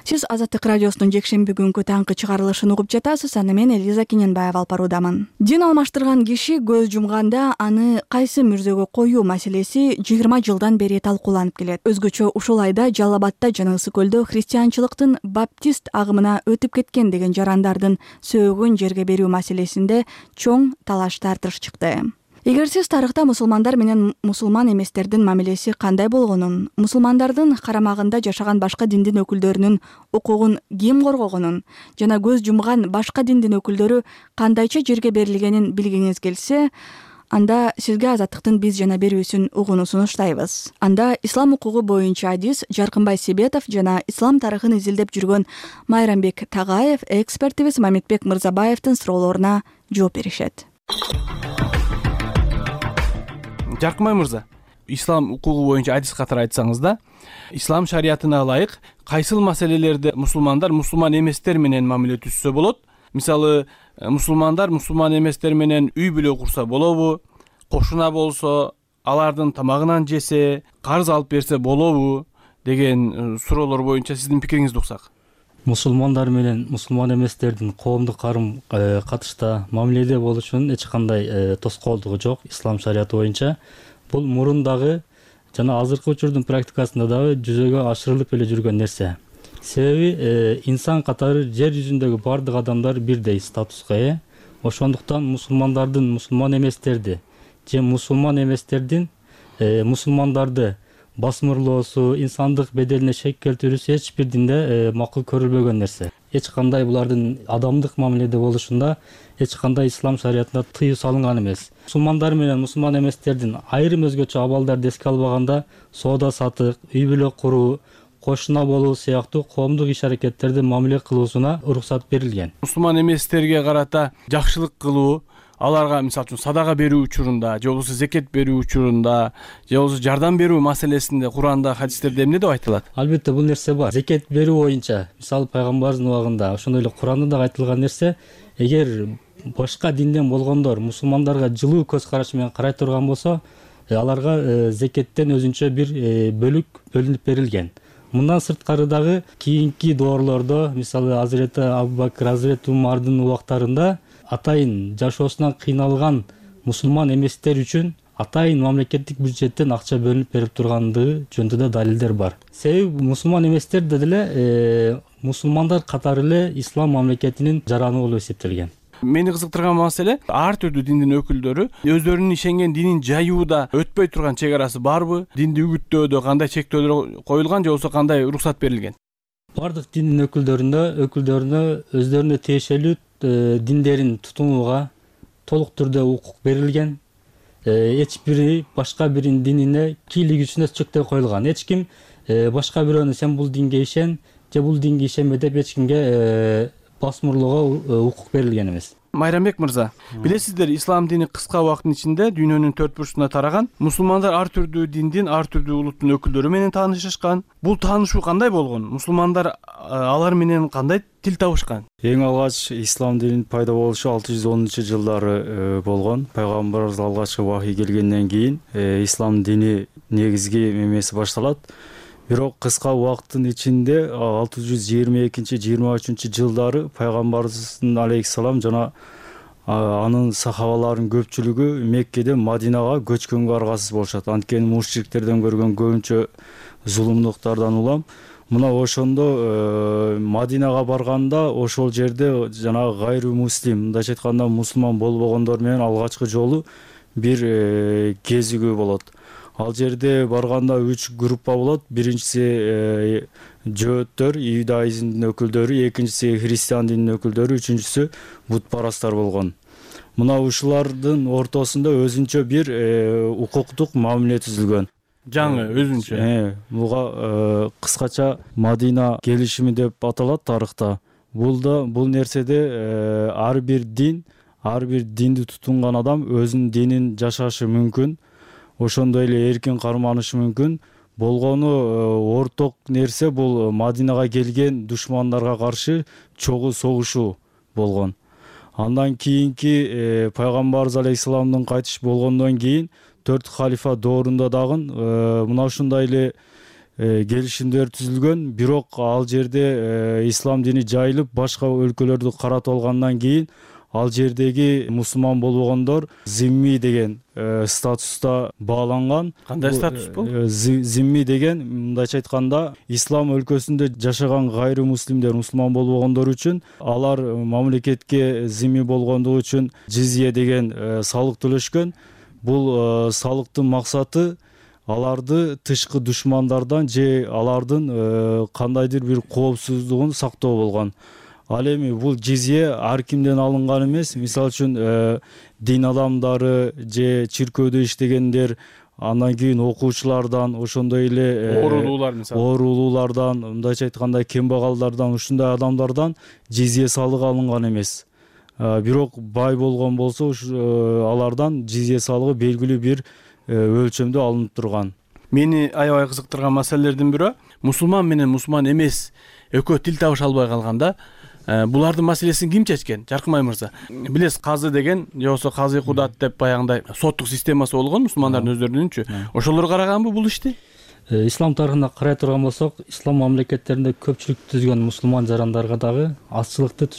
Сиз Азаттык радиосунун жекшемби күнгү таңкы чыгарылышын угуп жатасыз. Аны мен Элиза Кененбаева алып баруудамын. Дин алмаштырган киши көз жумганда аны кайсы мүрзөгө коюу маселеси жыйырма жылдан бери талкууланып келет. Өзгөчө ушул айда Жалал Абадта жана Ысык көлдө христианчылыктын баптист агымына өтүп кеткен деген жарандардын сөөгүн жерге берүү маселесинде чоң талаш тартыш чыкты. Эгер сиз тарыхта мусулмандар менен мусулман эместердин мамилеси кандай болгонун, мусулмандардын карамагында жашаган башка диндин өкүлдөрүнүн укугун ким коргогонун жана көз жумган башка диндин өкүлдөрү кандайча жерге берилгенин билгиңиз келсе, анда сизге Азаттыктын биз жана берүүсүн угууну сунуштайбыз. Анда ислам укугу боюнча адис Жаркынбай Себетов жана ислам тарыхын изилдеп жүргөн Майрамбек Тагаев, экспертибиз Мамитбек Мырзабаевдин суроолоруна жооп беришет. Жаркынбай мырза, ислам укугу боюнча адис катары айтсаңыз да, ислам шариятына ылайык кайсыл маселелерде мусулмандар мусулман эместер менен мамиле түзсө болот? Мисалы, мусулмандар мусулман эместер менен үй бүлө курса болобу? Кошуна болсо, алардын тамагынан жесе, карыз алып берсе болобу деген суроолор боюнча сиздин пикириңизди уксак. Мусулмандар менен мусулман эместердин коомдук карым катышта мамиледе болушунун эч кандай тоскоолдугу жок ислам шарияты боюнча. Бул мурун дагы жана азыркы учурдун практикасында дагы жүзөгө ашырылып эле жүргөн нерсе. себеби инсан катары жер жүзүндөгү баардык адамдар бирдей статуска ээ. Ошондуктан мусулмандардын мусулман эместерди же мусулман эместердин мусулмандарды басмырлоосу, инсандык беделине шек келтирүүсү эч бир динде макул көрүлбөгөн нерсе. Эч кандай булардын адамдык мамиледе болушунда эч кандай ислам шариятында тыюу салынган эмес. Мусулмандар менен мусулман эместердин айрым өзгөчө абалдарды эске албаганда соода сатык, үй бүлө куруу, кошуна болуу сыяктуу коомдук иш аракеттерди мамиле кылуусуна уруксат берилген. Мусулман эместерге карата жакшылык кылуу, аларга мисалы үчүн садага берүү учурунда же болбосо зекет берүү учурунда же болбосо жардам берүү маселесинде Куранда, хадистерде эмне деп айтылат? Албетте бул нерсе бар. Зекет берүү боюнча мисалы пайгамбарыбыздын убагында ошондой эле Куранда да айтылган нерсе, эгер башка динден болгондор мусулмандарга жылуу көз караш менен карай турган болсо, аларга зекеттен өзүнчө бир бөлүк бөлүнүп берилген. Мындан сырткары дагы кийинки доорлордо, мисалы Азирети Абубакыр, Азирети Умардын убактарында атайын жашоосунан кыйналган мусулман эместер үчүн атайын мамлекеттик бюджеттен акча бөлүнүп берип тургандыгы жөнүндө да далилдер бар. Себеби мусулман эместер деле мусулмандар катары эле ислам мамлекетинин жараны болуп эсептелген. Мени кызыктырган маселе, ар түрдүү диндин өкүлдөрү өздөрүнүн ишенген динин жаюуда өтпөй турган чек арасы барбы? Динди үгүттөөдө кандай чектөөлөр коюлган же болбосо кандай уруксат берилген? Бардык диндин өкүлдөрүнө өкүлдөрүнө өздөрүнө тиешелүү диндерин тутунууга толук түрдө укук берилген. Эч бири башка биринин динине кийлигүүсүнө чектөө коюлган. Эч ким башка бирөөнү сен бул динге ишен же бул динге ишенбе деп эч кимге басмырлоого укук берилген эмес. Майрамбек мырза, билесиздер, ислам дини кыска убакыттын ичинде дүйнөнүн төрт бурчуна тараган. Мусулмандар ар түрдүү диндин, ар түрдүү улуттун өкүлдөрү менен таанышышкан. Бул таанышуу кандай болгон? Мусулмандар алар менен кандай тил табышкан? Эң алгач ислам динин пайда болушу алты жүз онунчу жылдары болгон. Пайгамбарыбыз алгачкы вахий келгенден кийин ислам дини негизги мемеси башталат. Бирок кыска убакыттын ичинде алты жүз жыйырма экинчи жыйырма үчүнчү жылдары пайгамбарыбыздын алейхиссалам жана анын сахабаларынын көпчүлүгү Меккеден Мадинага көчкөнгө аргасыз болушат. Анткени мушриктерден көргөн көбүнчө зулумдуктардан улам. Мына ошондо Мадинага барганда ошол жерде жанагы гайру муслим, мындайча айтканда мусулман болбогондор менен алгачкы жолу бир кезигүү болот. Ал жерде барганда үч группа болот. Биринчиси жөөттөр, иудаизмдин өкүлдөрү, экинчиси христиан дининин өкүлдөрү, үчүнчүсү бутпарастар болгон. Мына ушулардын ортосунда өзүнчө бир укуктук мамиле түзүлгөн. Жаңы өзүнчө. Буга кыскача Мадина келишими деп аталат тарыхта. Бул да бул нерседе ар бир дин, ар бир динди тутунган адам өзүнүн динин жашашы мүмкүн. Ошондой эле эркин карманышы мүмкүн. Болгону орток нерсе бул Мадинага келген душмандарга каршы чогуу согушуу болгон. Андан кийинки пайгамбарыбыз алейхисаламдын кайтыш болгондон кийин төрт халифа доорунда дагы мына ушундай эле келишимдер түзүлгөн. Бирок ал жерде ислам дини жайылып башка өлкөлөрдү каратып алгандан кийин ал жердеги мусулман болбогондор зимми деген статуста бааланган. Кандай статус бул? Зимми деген мындайча айтканда ислам өлкөсүндө жашаган гайру муслимдер, мусулман болбогондор үчүн алар мамлекетке зимми болгондугу үчүн жизия деген салык төлөшкөн. Бул салыктын максаты аларды тышкы душмандардан же алардын кандайдыр бир коопсуздугун сактоо болгон. Ал эми бул жизия ар кимден алынган эмес. Мисалы үчүн дин адамдары же чиркөөдө иштегендер, андан кийин окуучулардан, ошондой эле оорулуулар мисалы оорулуулардан, мындайча айтканда кембагалдардан, ушундай адамдардан жизия салыгы алынган эмес. Бирок бай болгон болсо алардан жизия салыгы белгилүү бир өлчөмдө алынып турган. Мени аябай кызыктырган маселелердин бирөө мусулман менен мусулман эмес экөө тил табыша албай калганда булардын маселесин ким чечкен? Жаркымай мырза. Билесиз, казы деген же болбосо казы кудат деп баягындай соттук системасы болгон мусулмандардын өздөрүнүнчү. Ошолор караганбы бул ишти? Ислам тарыхына карай турган болсок, ислам мамлекеттеринде көпчүлүк түзгөн мусулман жарандарга дагы, азчылыкты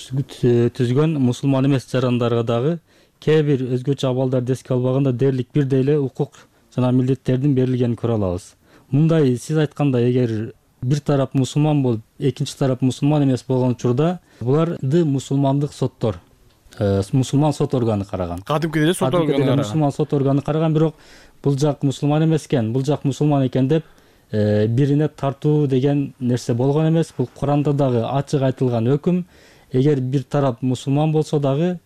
түзгөн мусулман эмес жарандарга дагы кээ бир өзгөчө абалдарды эске албаганда дээрлик бирдей эле укук жана милдеттердин берилгенин көрө алабыз. Мындай сиз айткандай, эгер бир тарап мусулман болуп экинчи тарап мусулман эмес болгон учурда буларды мусулмандык соттор, мусулман сот органы караган. Кадимки деле сот органы караган. Мусулман сот органы караган, бирок бул жак мусулман эмес экен, бул жак мусулман экен деп бирине тартуу деген нерсе болгон эмес. Бул Куранда дагы ачык айтылган өкүм. Эгер бир тарап мусулман болсо дагы,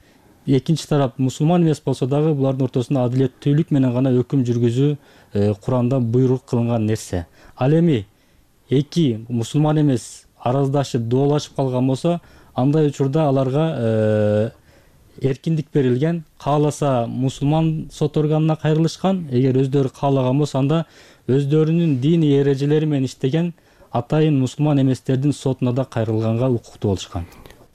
экинчи тарап мусулман эмес болсо дагы, булардын ортосунда адилеттүүлүк менен гана өкүм жүргүзүү Куранда буйрук кылынган нерсе. Ал эми эки мусулман эмес араздашып, доолашып калган болсо, андай учурда аларга эркиндик берилген. Кааласа мусулман сот органына кайрылышкан, эгер өздөрү каалаган болсо анда өздөрүнүн диний эрежелери менен иштеген атайын мусулман эместердин сотуна да кайрылганга укуктуу болушкан.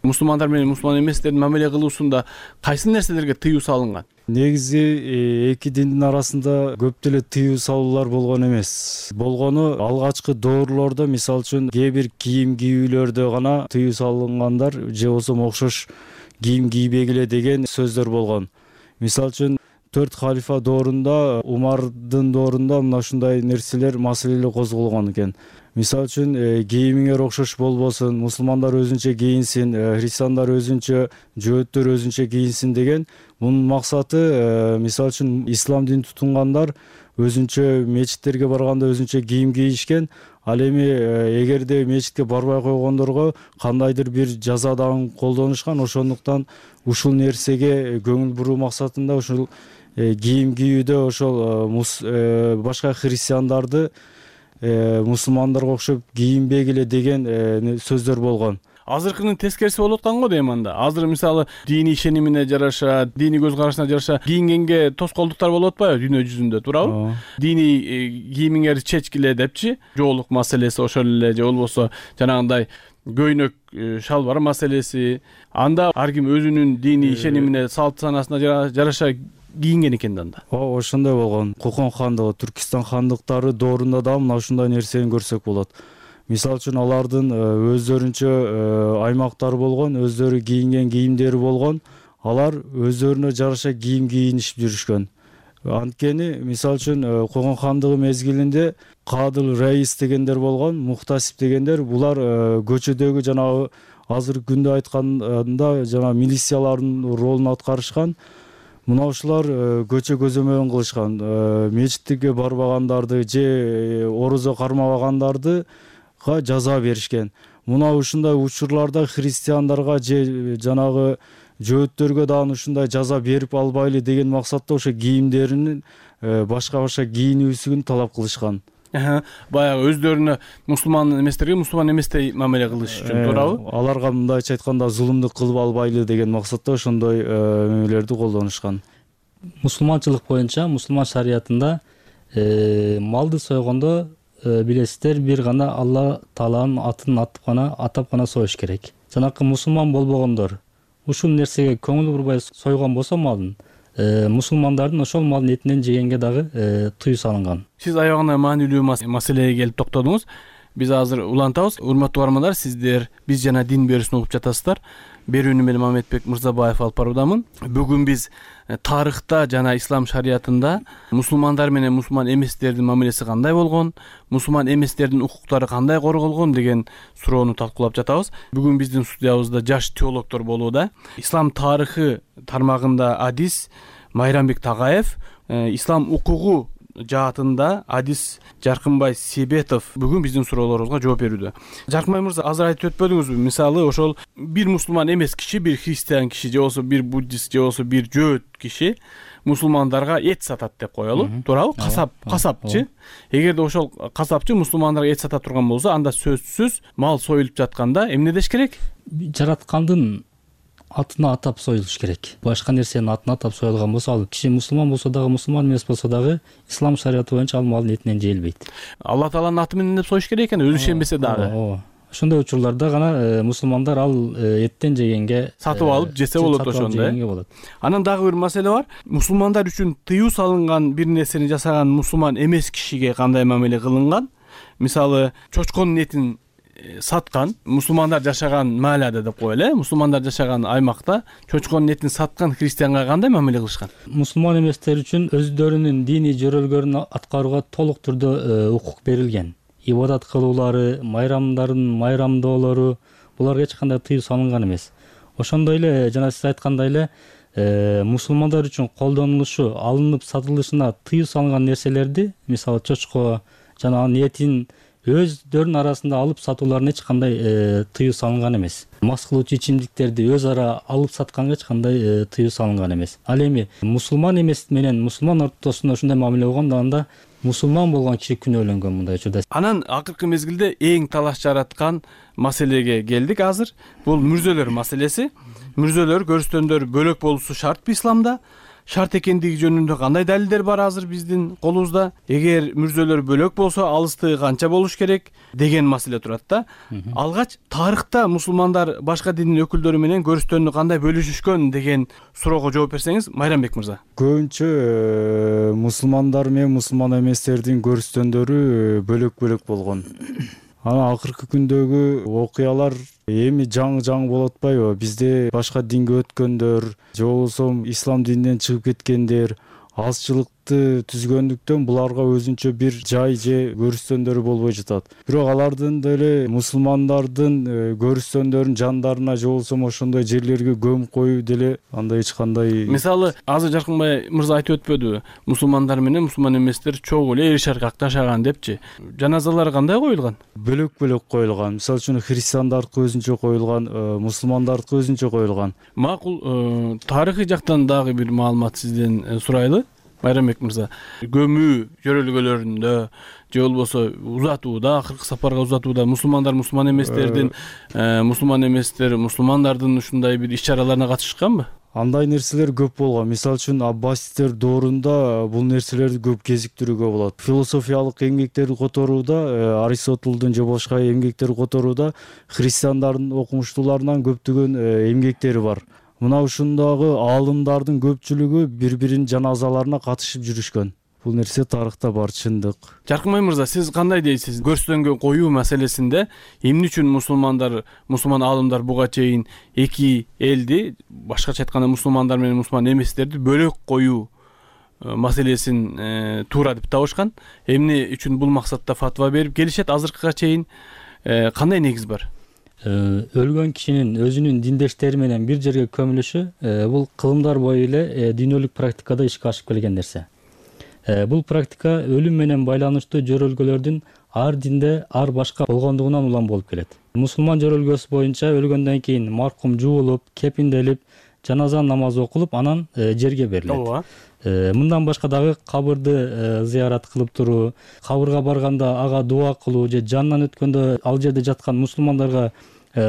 Мусулмандар менен мусулман эместердин мамиле кылуусунда кайсы нерселерге тыюу салынган? Негизи эки диндин арасында көп деле тыюу салуулар болгон эмес. Болгону алгачкы доорлордо, мисалы үчүн, кээ бир кийим кийүүлөрдө гана тыюу салынгандар, же болбосо окшош кийим кийбегиле деген сөздөр болгон. Мисалы үчүн, төрт халифа доорунда, Умардын доорунда мына ушундай нерселер, маселелер козголгон экен. Мисалы үчүн, кийимиңер окшош болбосун, мусулмандар өзүнчө кийинсин, христиандар өзүнчө, жөөттөр өзүнчө кийинсин деген. Мунун максаты, мисалы үчүн, ислам динин тутунгандар өзүнчө мечиттерге барганда өзүнчө кийим кийишкен. Ал эми эгерде мечитке барбай койгондорго кандайдыр бир жаза дагы колдонушкан. Ошондуктан ушул нерсеге көңүл буруу максатында ушул кийим кийүүдө ошол башка христиандарды мусулмандарга окшоп кийинбегиле деген сөздөр болгон. Азыркынын тескериси болуп аткан го дейм анда. Азыр мисалы диний ишенимине жараша, диний көз карашына жараша кийингенге тоскоолдуктар болуп атпайбы дүйнө жүзүндө, туурабы? Диний кийимиңерди чечкиле депчи, жоолук маселеси ошол эле, же болбосо жанагындай көйнөк шалбар маселеси. Анда ар ким өзүнүн диний ишенимине, салт санасына жараша кийинген экен да анда. Ооба, ошондой болгон. Кокон хандыгы, Түркистан хандыктары доорунда да мына ушундай нерсени көрсөк болот. Мисалы үчүн, алардын өздөрүнчө аймактары болгон, өздөрү кийинген кийимдери болгон. Алар өздөрүнө жараша кийим кийинишип жүрүшкөн. Анткени, мисалы үчүн, Кокон хандыгы мезгилинде Кадыл Раис дегендер болгон, Мухтасип дегендер, булар көчөдөгү жанагы азыркы күндө айтканда жана милициялардын ролун аткарышкан. Мына ушулар көчө көзөмөлүн кылышкан. Мечитке барбагандарды же орозо кармабагандарды жаза беришкен. Мына ушундай учурларда христиандарга же жанагы жөөттөргө дагы ушундай жаза берип албайлы деген максатта ошо кийимдеринин башка-башка кийинүүсүн талап кылышкан. Баягы өздөрүнө мусулман эместерге мусулман эместей мамиле кылыш үчүн, туурабы? Аларга мындайча айтканда зулумдук кылып албайлы деген максатта ошондой мамилелерди колдонушкан. Мусулманчылык боюнча, мусулман шариятында малды сойгондо билесиздер, бир гана Алла Тааланын атын атып гана, атап гана союш керек. Жанакы мусулман болбогондор ушул нерсеге көңүл бурбай сойгон болсо малын, мусулмандардын ошол малдын этинен жегенге дагы тыюу салынган. Сиз аягында маанилүү маселеге келип токтодуңуз. Биз азыр улантабыз. Урматтуу угармандар, сиздер биз жана дин берүүсүн угуп жатасыздар. Берүүнү мен Мамедбек Мырзабаев алып баруудамын. Бүгүн биз тарыхта жана ислам шариятында мусулмандар менен мусулман эместердин мамилеси кандай болгон, мусулман эместердин укуктары кандай корголгон деген суроону талкуулап жатабыз. Бүгүн биздин студиябызда жаш теологдор болууда. Ислам тарыхы тармагында адис Майрамбек Тагаев, ислам укугу жаатында адис Жаркынбай Себетов бүгүн биздин суроолорубузга жооп берүүдө. Жаркынбай мырза, азыр айтып өтпөдүңүзбү? Мисалы, ошол бир мусулман эмес киши, бир христиан киши, же болбосо бир буддист, же болбосо бир жөөт киши мусулмандарга эт сатат деп коелу, туурабы? Касап, касапчы. Эгерде ошол касапчы мусулмандарга эт сата турган болсо, анда сөзсүз мал союлуп жатканда эмне деш керек? Жараткандын атына атап союлуш керек. Башка нерсенин атына атап союлган болсо, ал киши мусулман болсо дагы, мусулман эмес болсо дагы ислам шариаты боюнча ал малдын этинен жейилбейт. Алла Тааланын аты менен деп союш керек экен, өзү ишенбесе дагы. Ооба. Ошондой учурларда гана мусулмандар ал эттен жегенге сатып алып жесе болот, ошондой. Анан дагы бир маселе бар. Мусулмандар үчүн тыюу салынган бир нерсени жасаган мусулман эмес кишиге кандай мамиле кылынган? Мисалы, чочконун этин саткан, мусулмандар жашаган маалада деп коелу, мусулмандар жашаган аймакта чочконун этин саткан христианга кандай мамиле кылышкан? Мусулман эместер үчүн өздөрүнүн диний жөрөлгөрүн аткарууга толук түрдө укук берилген. ибадат кылуулары, майрамдардын майрамдоолору буларга эч кандай тыюу салынган эмес. Ошондой эле жана сиз айткандай эле мусулмандар үчүн колдонулушу, алынып сатылышына тыюу салынган нерселерди, мисалы чочко жана анын этин өздөрүнүн арасында алып сатууларына эч кандай тыюу салынган эмес. Мас кылуучу ичимдиктерди өз ара алып сатканга эч кандай тыюу салынган эмес. Ал эми мусулман эмес менен мусулман ортосунда ушундай мамиле болгондо анда мусулман болгон киши күнөөлөнгөн мындай учурда. Анан акыркы мезгилде эң талаш жараткан маселеге келдик азыр. Бул мүрзөлөр маселеси. Мүрзөлөр, көрүстөндөр бөлөк болушу шартпы исламда? Шарт экендиги жөнүндө кандай далилдер бар азыр биздин колубузда? Эгер мүрзөлөр бөлөк болсо, алыстыгы канча болуш керек деген маселе турат да. Алгач тарыхта мусулмандар башка диндин өкүлдөрү менен көрүстөнү кандай бөлүшүшкөн деген суроого жооп берсеңиз, Майрамбек мырза. Көбүнчө мусулмандар менен мусулман эместердин көрүстөндөрү бөлөк-бөлөк болгон. Анан акыркы күндөгү окуялар эми жаңы жаңы болуп атпайбы? Бизде башка динге өткөндөр, же болбосо ислам дининен чыгып кеткендер азчылыкты түзгөндүктөн буларга өзүнчө бир жай же көрүстөндөрү болбой жатат. Бирок алардын деле мусулмандардын көрүстөндөрүнүн жандарына же болбосо ошондой жерлерге көмүп коюу деле андай эч кандай. Мисалы, азыр Жаркынбай мырза айтып өтпөдүбү? Мусулмандар менен мусулман эместер чогуу эле эр шаркак жашаган депчи. Жаназалар кандай коюлган? Бөлөк-бөлөк коюлган. Мисалы үчүн христиандардыкы өзүнчө коюлган, мусулмандардыкы өзүнчө коюлган. Макул, тарыхый жактан дагы бир маалымат сизден сурайлы. Майрамбек мырза, көмүү жөрөлгөлөрүндө же болбосо узатууда, акыркы сапарга узатууда мусулмандар мусулман эместердин, мусулман эместер мусулмандардын ушундай бир иш-чараларына катышышканбы? Андай нерселер көп болгон. Мисалы үчүн Аббасидтер доорунда бул нерселерди көп кезиктирүүгө болот. Философиялык эмгектерди которууда, Аристотелдун же башка эмгектерди которууда христиандардын окумуштууларынан көптөгөн эмгектери бар. Мына ушундагы аалымдардын көпчүлүгү бири-биринин жаназаларына катышып жүрүшкөн. Бул нерсе тарыхта бар, чындык. Жаркынбай мырза, сиз кандай дейсиз? Көрүстөнгө коюу маселесинде эмне үчүн мусулмандар, мусулман аалымдар буга чейин эки элди, башкача айтканда мусулмандар менен мусулман эместерди бөлөк коюу маселесин туура деп табышкан? Эмне үчүн бул максатта фатва берип келишет азыркыга чейин? Кандай негиз бар? Өлгөн кишинин өзүнүн диндештери менен бир жерге көмүлүшү бул кылымдар бою эле дүйнөлүк практикада ишке ашып келген нерсе. Бул практика өлүм менен байланыштуу жөрөлгөлөрдүн ар динде ар башка болгондугунан улам болуп келет. Мусулман жөрөлгөсү боюнча өлгөндөн кийин маркум жуулуп, кепинделип, жаназа намазы окулуп, анан жерге берилет. Мындан башка дагы кабырды зыярат кылып туруу, кабырга барганда ага дуа кылуу же жанынан өткөндө ал жерде жаткан мусулмандарга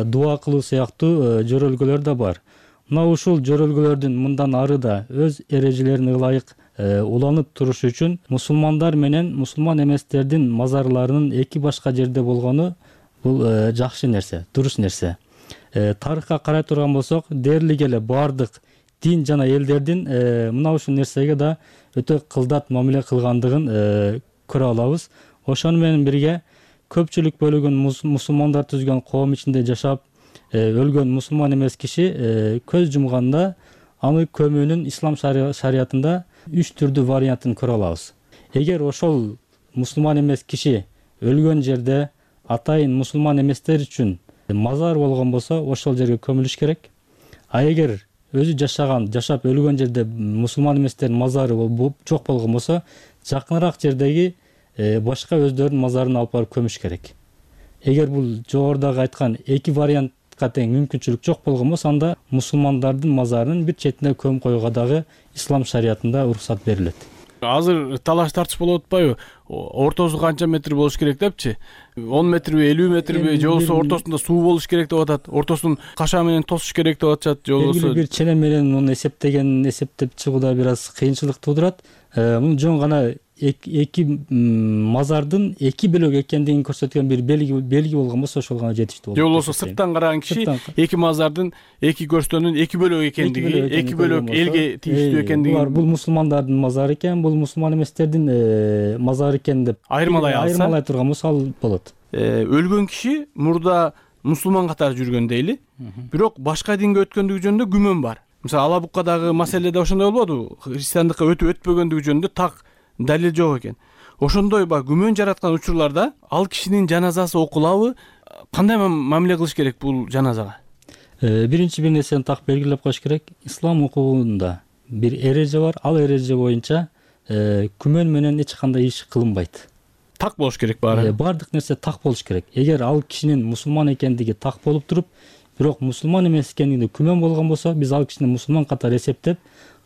дуа кылуу сыяктуу жөрөлгөлөр да бар. Мына ушул жөрөлгөлөрдүн мындан ары да өз эрежелерине ылайык уланып турушу үчүн мусулмандар менен мусулман эместердин мазарларынын эки башка жерде болгону бул жакшы нерсе, туруш нерсе. Тарыхка карай турган болсок, дээрлик эле баардык дин жана элдердин мына ушул нерсеге да өтө кылдат мамиле кылгандыгын көрө алабыз. Ошону менен бирге көпчүлүк бөлүгүн мусулмандар түзгөн коом ичинде жашап өлгөн мусулман эмес киши көз жумганда аны көмүүнүн ислам шариятында үч түрдүү вариантын көрө алабыз. Эгер ошол мусулман эмес киши өлгөн жерде атайын мусулман эместер үчүн мазар болгон болсо, ошол жерге көмүлүш керек. А эгер өзү жашаган, жашап өлгөн жерде мусулман эместердин мазары жок болгон болсо, жакыныраак жердеги башка өздөрүнүн мазарына алып барып көмүш керек. Эгер бул жогорудагы айткан эки вариантка тең мүмкүнчүлүк жок болгон болсо, анда мусулмандардын мазарынын бир четине көмүп коюуга дагы ислам шариятында уруксат берилет. Азыр талаш тартыш болуп атпайбы? Ортосу канча метр болуш керек депчи? он метрби, элүү метрби, же болбосо ортосунда суу болуш керек деп атат. Ортосун каша менен тосуш керек деп атышат, же болбосо бир чене менен муну эсептеген, эсептеп чыгууда бир аз кыйынчылык туудурат. Мун жөн гана эки мазардын эки бөлөк экендигин көрсөткөн бир белги белги болгон болсо, ошол гана жетиштүү болот. Же болбосо сырттан караган киши эки мазардын эки көрстөнүн эки бөлөк экендиги, эки бөлөк элге тийиштүү экендиги. Булар бул мусулмандардын мазары экен, бул мусулман эместердин мазары экен деп айырмалай алса, айырмалай турган болсо ал болот. Өлгөн киши мурда мусулман катары жүргөн дейли, бирок башка динге өткөндүгү жөнүндө күмөн бар. Мисалы, Алабуккадагы маселеде ошондой болбодубу? Христиандыкка өтүп өтпөгөндүгү жөнүндө так далил жок экен. ошондой баягы күмөн жараткан учурларда ал кишинин жаназасы окулабы, кандай мамиле кылыш керек бул жаназага? Биринчи бир нерсени так белгилеп коюш керек. Ислам укугунда бир эреже бар. Ал эреже боюнча күмөн менен эч кандай иш кылынбайт. Так болуш керек баары. Бардык нерсе так болуш керек. Эгер ал кишинин мусулман экендиги так болуп туруп, бирок мусулман эмес экендигинде күмөн болгон болсо, биз ал кишини мусулман катары эсептеп,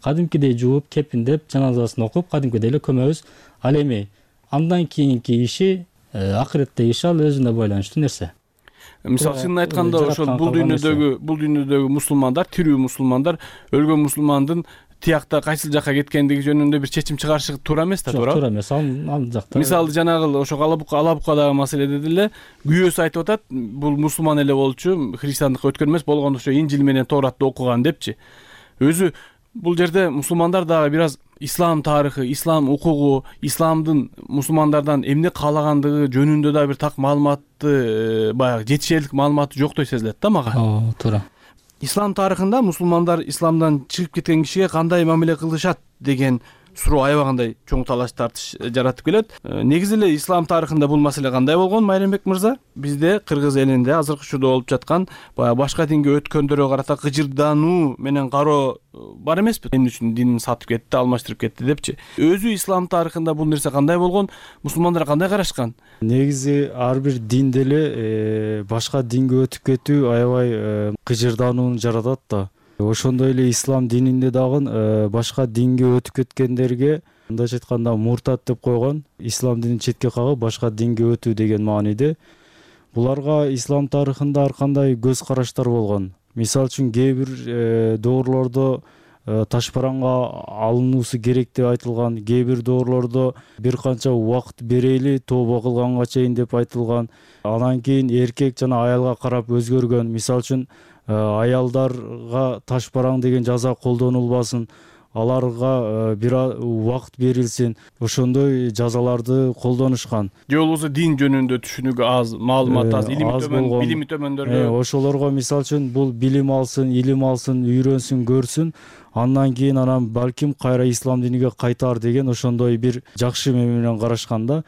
кадимкидей жууп, кепиндеп, жаназасын окуп, кадимкидей эле көмөбүз. Ал эми андан кийинки иши, акыреттеги иши ал өзүнө байланыштуу нерсе. Мисалы чынын айтканда ошол бул дүйнөдөгү бул дүйнөдөгү мусулмандар, тирүү мусулмандар өлгөн мусулмандын тиякта кайсыл жакка кеткендиги жөнүндө бир чечим чыгарышы туура эмес да, туура? Туура эмес. Ал жакта. Мисалы жанагы ошо Алабукадагы маселеде деле күйөөсү айтып атат, бул мусулман эле болчу, христиандыкка өткөн эмес, болгондо ошо Инжил менен Торатты окуган депчи. Өзү бул жерде мусулмандар дагы бир аз ислам тарыхы, ислам укугу, исламдын мусулмандардан эмне каалагандыгы жөнүндө да бир так маалыматты, баягы жетишерлик маалыматы жоктой сезилет да мага. Ооба, туура. Ислам тарыхында мусулмандар исламдан чыгып кеткен кишиге кандай мамиле кылышат деген суроо аябагандай чоң талаш тартыш жаратып келет. Негизи эле ислам тарыхында бул маселе кандай болгон, Майрамбек мырза? Бизде кыргыз элинде азыркы учурда болуп жаткан баягы башка динге өткөндөргө карата кыжырдануу менен кароо бар эмеспи? Эмне үчүн динин сатып кетти, алмаштырып кетти депчи. Өзү ислам тарыхында бул нерсе кандай болгон? Мусулмандар кандай карашкан? Негизи ар бир дин деле башка динге өтүп кетүү аябай кыжырданууну жаратат да. Ошондой эле ислам дининде дагы башка динге өтүп кеткендерге мындайча айтканда муртат деп койгон, ислам динин четке кагып башка динге өтүү деген мааниде. Буларга ислам тарыхында ар кандай көз караштар болгон. Мисалы үчүн кээ бир доорлордо таш бараңга алынуусу керек деп айтылган, кээ бир доорлордо бир канча убакыт берели тооба кылганга чейин деп айтылган. Анан кийин эркек жана аялга карап өзгөргөн. Мисалы үчүн аялдарга таш бараң деген жаза колдонулбасын, аларга бир убакыт берилсин, ошондой жазаларды колдонушкан. Же болбосо дин жөнүндө түшүнүгү аз, маалыматы аз, илими төмөн, билими төмөндөргө ошолорго мисалы үчүн бул билим алсын, илим алсын, үйрөнсүн, көрсүн, андан кийин анан балким кайра ислам диниге кайтар деген ошондой бир жакшы менен карашкан да.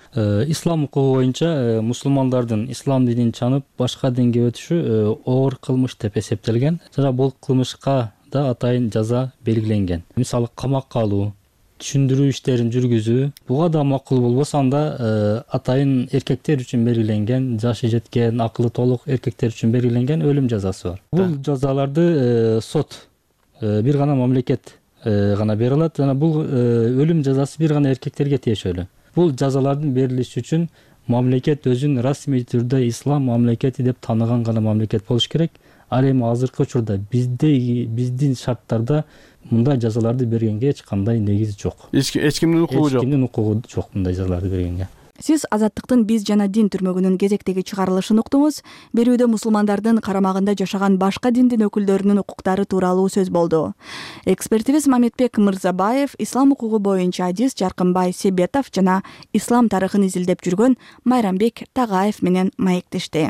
Ислам укугу боюнча мусулмандардын ислам динин чанып башка динге өтүшү оор кылмыш деп эсептелген. Жана бул кылмышка да атайын жаза белгиленген. Мисалы камакка алуу, түшүндүрүү иштерин жүргүзүү, буга да макул болбосо анда атайын эркектер үчүн белгиленген, жашы жеткен, акылы толук эркектер үчүн белгиленген өлүм жазасы бар. Бул жазаларды сот бир гана мамлекет гана бере алат жана бул өлүм жазасы бир гана эркектерге тиешелүү. Бул жазалардын берилиши үчүн мамлекет өзүн расмий түрдө ислам мамлекети деп тааныган гана мамлекет болуш керек. Ал эми азыркы учурда бизде биздин шарттарда мындай жазаларды бергенге эч кандай негиз жок. Эч кимдин укугу жок. Эч кимдин укугу жок мындай жазаларды бергенге. Сиз Азаттыктын биз жана дин түрмөгүнүн кезектеги чыгарылышын уктуңуз. Берүүдө мусулмандардын карамагында жашаган башка диндин өкүлдөрүнүн укуктары тууралуу сөз болду. Экспертибиз Мамедбек Мырзабаев, ислам укугу боюнча адис Жаркынбай Себетов жана ислам тарыхын изилдеп жүргөн Майрамбек Тагаев менен маектешти.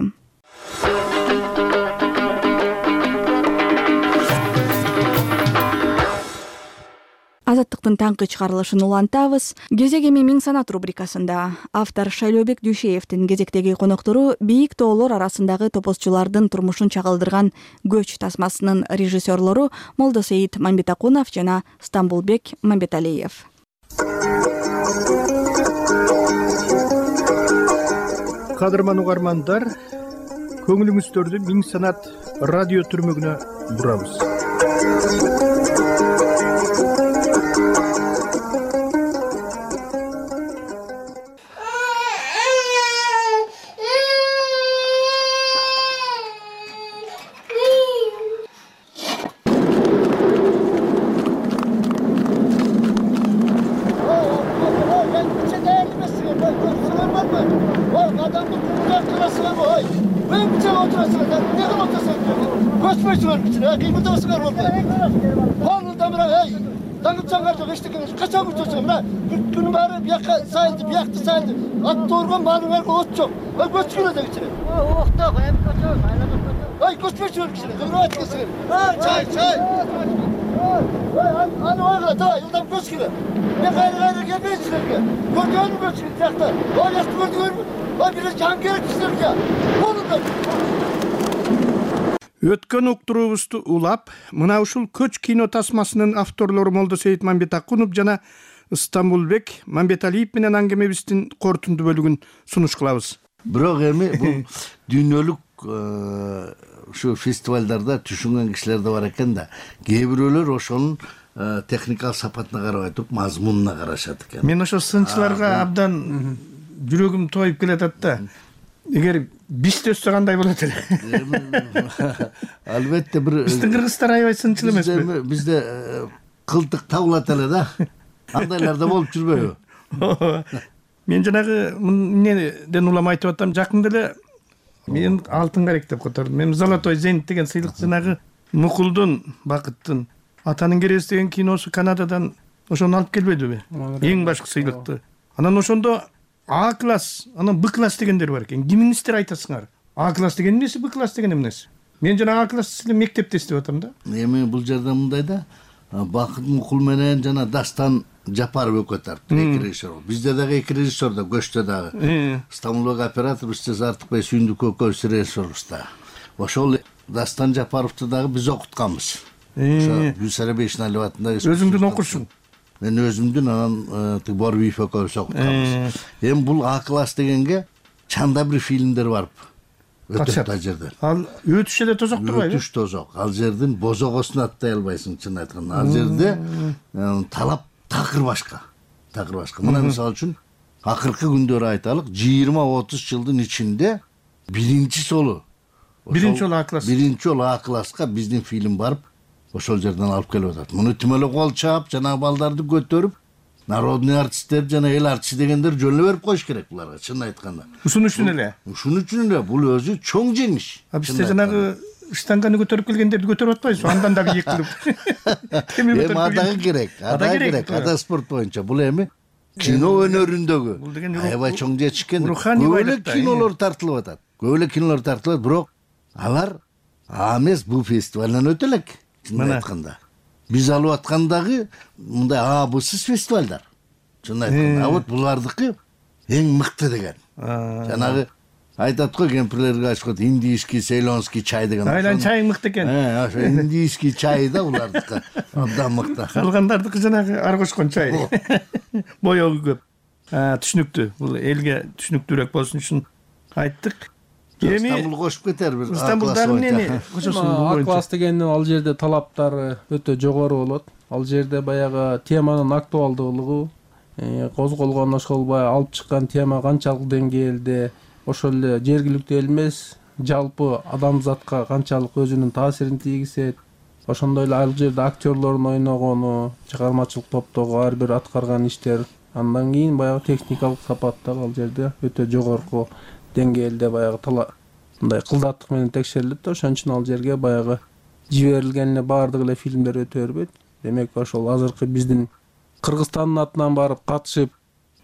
Азаттыктын таңкы чыгарылышын улантабыз. Кезек эми Миң санат рубрикасында автор Шайлообек Дүйшеевдин кезектеги коноктору бийик тоолор арасындагы топозчулардын турмушун чагылдырган Көч тасмасынын режиссерлору Молдосейит Мамбетакунов жана Стамбулбек Мамбеталиев. Кадырман угармандар, көңүлүңүздөрдү Миң санат радио түрмөгүнө бурабыз. At doğurgan balınlar ot çok. Ay göçküne de geçirin. Oh da hem kaçar. Ay göçme çocuk içine. Kıvrat geçirin. Çay çay. аны ойга давай ылдам көчкүлө мен кайра кайра келбейм силерге көрдүңөрбү көчкүл тиякта ояктı көрдүңөрбү а бир жан керек силерге болду. Өткөн уктуруубузду улап мына ушул көч кино тасмасынын авторлору Молдосейит Мамбетакунов жана Стамбулбек Мамбеталиев менен аңгемебиздин корутунду бөлүгүн сунуш кылабыз. Бирок эми бул дүйнөлүк ушу фестивалдарда түшүнгөн кишилер да бар экен да. Кээ бирөөлөр ошонун техникалык сапатына карабай туруп мазмунуна карашат экен. Мен ошо сынчыларга абдан жүрөгүм тоюп келатат да. Эгер бизде өссө кандай болот эле? Албетте бир биздин кыргыздар аябай сынчыл эмеспи? Бизде кылтык табылат эле да. Андайлар да болуп жүрбөйбү? Мен жанагы эмнеден улам айтып атам, жакында эле мен алтын карек деп котордум. Мен Золотой зенит деген сыйлык жанагы Мукулдун Бакыттын Атанын кереси деген киносу Канададан ошону алып келбедиби? Эң башкы сыйлыкты. Анан ошондо А класс, анан Б класс дегендер бар экен. Кимиңиздер айтасыңар? А класс деген эмнеси, Б класс деген эмнеси? Мен жана А класс эле мектепте иштеп атам да. Эми бул жерде мындай да, Бакыт Мукул менен жана Дастан Жапаров экөө тартты, эки режиссер. Бизде дагы эки режиссер да, көчтө дагы. Стамбулдагы оператор Бизде Артыкбай Сүйүндүк экөөбүз режиссербуз да. Ошол Дастан Жапаровду дагы биз окутканбыз. Ошо Гүлсара Бейшеналиева атындагы. Өзүңдүн окурсуң? Мен өзүмдүн анан Борбиев экөөбүз окутканбыз. Эми бул А класс дегенге чанда бир фильмдер барып өтөт ал жерде. Ал өтүш эле тозок турбайбы? Өтүш тозок. Ал жердин бозогосун аттай албайсың, чын айтканда. Ал жерде талап такыр башка. Такыр башка. Мына мисалы үчүн акыркы күндөрү айталык, жыйырма отуз жылдын ичинде биринчи жолу биринчи жолу А класс. Биринчи жолу А класска биздин фильм барып ошол жерден алып келип атат. Муну түм эле кол чаап, жанагы балдарды көтөрүп, народный артисттер жана эл артисти дегендер жөн эле берип коюш керек буларга, чын айтканда. Ушун үчүн эле. Ушун үчүн эле бул өзү чоң жеңиш. Бизде жанагы штанганы көтөрүп келгендерди көтөрүп атпайбызбы? Андан дагы ийик кылып. Эми адагы керек, адагы керек. Ада спорт боюнча бул эми кино өнөрүндөгү аябай чоң жетишкен көп эле кинолор тартылып атат. Көп эле кинолор тартылат, бирок алар А эмес бул фестивалдан өтө элек. Чын айтканда. Биз алып аткандагы мындай А Бсыз фестивалдар. Чын айтканда, а вот булардыкы эң мыкты деген. Жанагы айтат го кемпирлерге айтышат, индийский, цейлонский чай деген. Айлан чайың мыкты экен. Э, ошо индийский чай да булардыкы. Абдан мыкты. Калгандардыкы жанагы ар кошкон чай. Боёгу көп. Түшүнүктүү. Бул элге түшүнүктүүрөөк болсун үчүн айттык. Эми Стамбул кошуп кетер бир. Стамбулда эмнени кошосуң бул боюнча? А класс дегендин ал жерде талаптары өтө жогору болот. Ал жерде баягы теманын актуалдуулугу, козголгон ошол баягы алып чыккан тема канчалык деңгээлде, ошол эле жергиликтүү эл эмес, жалпы адамзатка канчалык өзүнүн таасирин тийгизет. Ошондой эле ал жерде актерлордун ойногону, чыгармачылык топтогу ар бир аткарган иштер, андан кийин баягы техникалык сапат дагы ал жерде өтө жогорку деңгээлде баягы тала мындай кылдаттык менен текшерилет да, ошон үчүн ал жерге баягы жиберилген эле баардык эле фильмдер өтө бербейт. Демек ошол азыркы биздин Кыргызстандын атынан барып катышып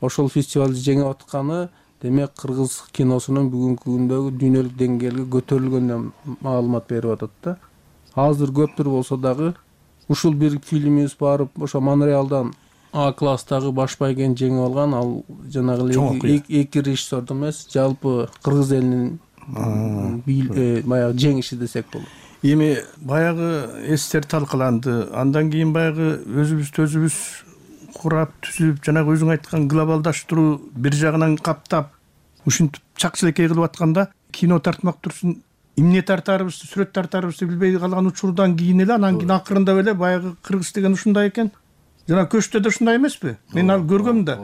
ошол фестивалды жеңип атканы, демек кыргыз киносунун бүгүнкү күндөгү дүйнөлүк деңгээлге көтөрүлгөнүнөн маалымат берип атат да. Азыр көптүр болсо дагы ушул бир фильмибиз барып ошо Монреалдан А класстагы баш байгени жеңип алган, ал жанагы эки режиссердун эмес, жалпы кыргыз элинин баягы жеңиши десек болот. Эми баягы эстер талкаланды. Андан кийин баягы өзүбүздү өзүбүз курап, түзүп, жанагы өзүң айткан глобалдаштыруу бир жагынан каптап, ушинтип чакчылекей кылып атканда кино тартмак турсун, эмне тартарыбызды, сүрөт тартарыбызды билбей калган учурдан кийин эле, анан кийин акырында эле баягы кыргыз деген ушундай экен. Жана көчтө да ушундай эмеспи? Мен ал көргөм да.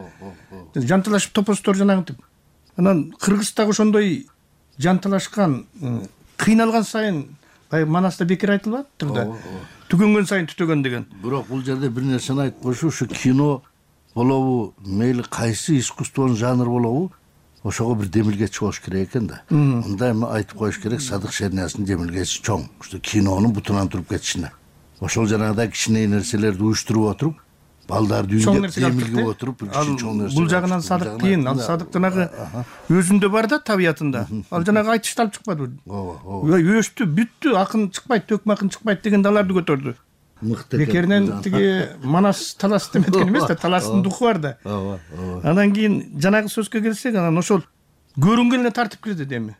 Жанталашып топостор жанагынтип. Анан кыргыз дагы ошондой жанталашкан, кыйналган сайын, баягы Манаста бекер айтылып атыптыр да. Түгөнгөн сайын түтөгөн деген. Бирок бул жерде бир нерсени айтып коюшу, ушу кино болобу, мейли кайсы искусствонун жанры болобу, ошого бир демилгечи болуш керек экен да. Мындай айтып коюш керек, Садык Шерниязовдун демилгечи чоң. Ушу кинонун бутунан туруп кетишине. Ошол жанагыдай кичине нерселерди уюштуруп отуруп, балдарды үйүндө демилгип отуруп, чоң нерсе. Бул жагынан Садык кийин, ал Садык жанагы өзүндө бар да, табиятында. Ал жанагы айтышталып чыкпадыбы? Ооба, ооба. Өстү, бүттү, акын чыкпайт, төкмө акын чыкпайт деген даларды көтөрдү. мыкты бекеринен тиги манас талас деметкен эмес да, таластын духу бар да. Ооба, ооба. Анан кийин жанагы сөзгө келсек, анан ошол көрүнгөнүнө тартып кирди эми.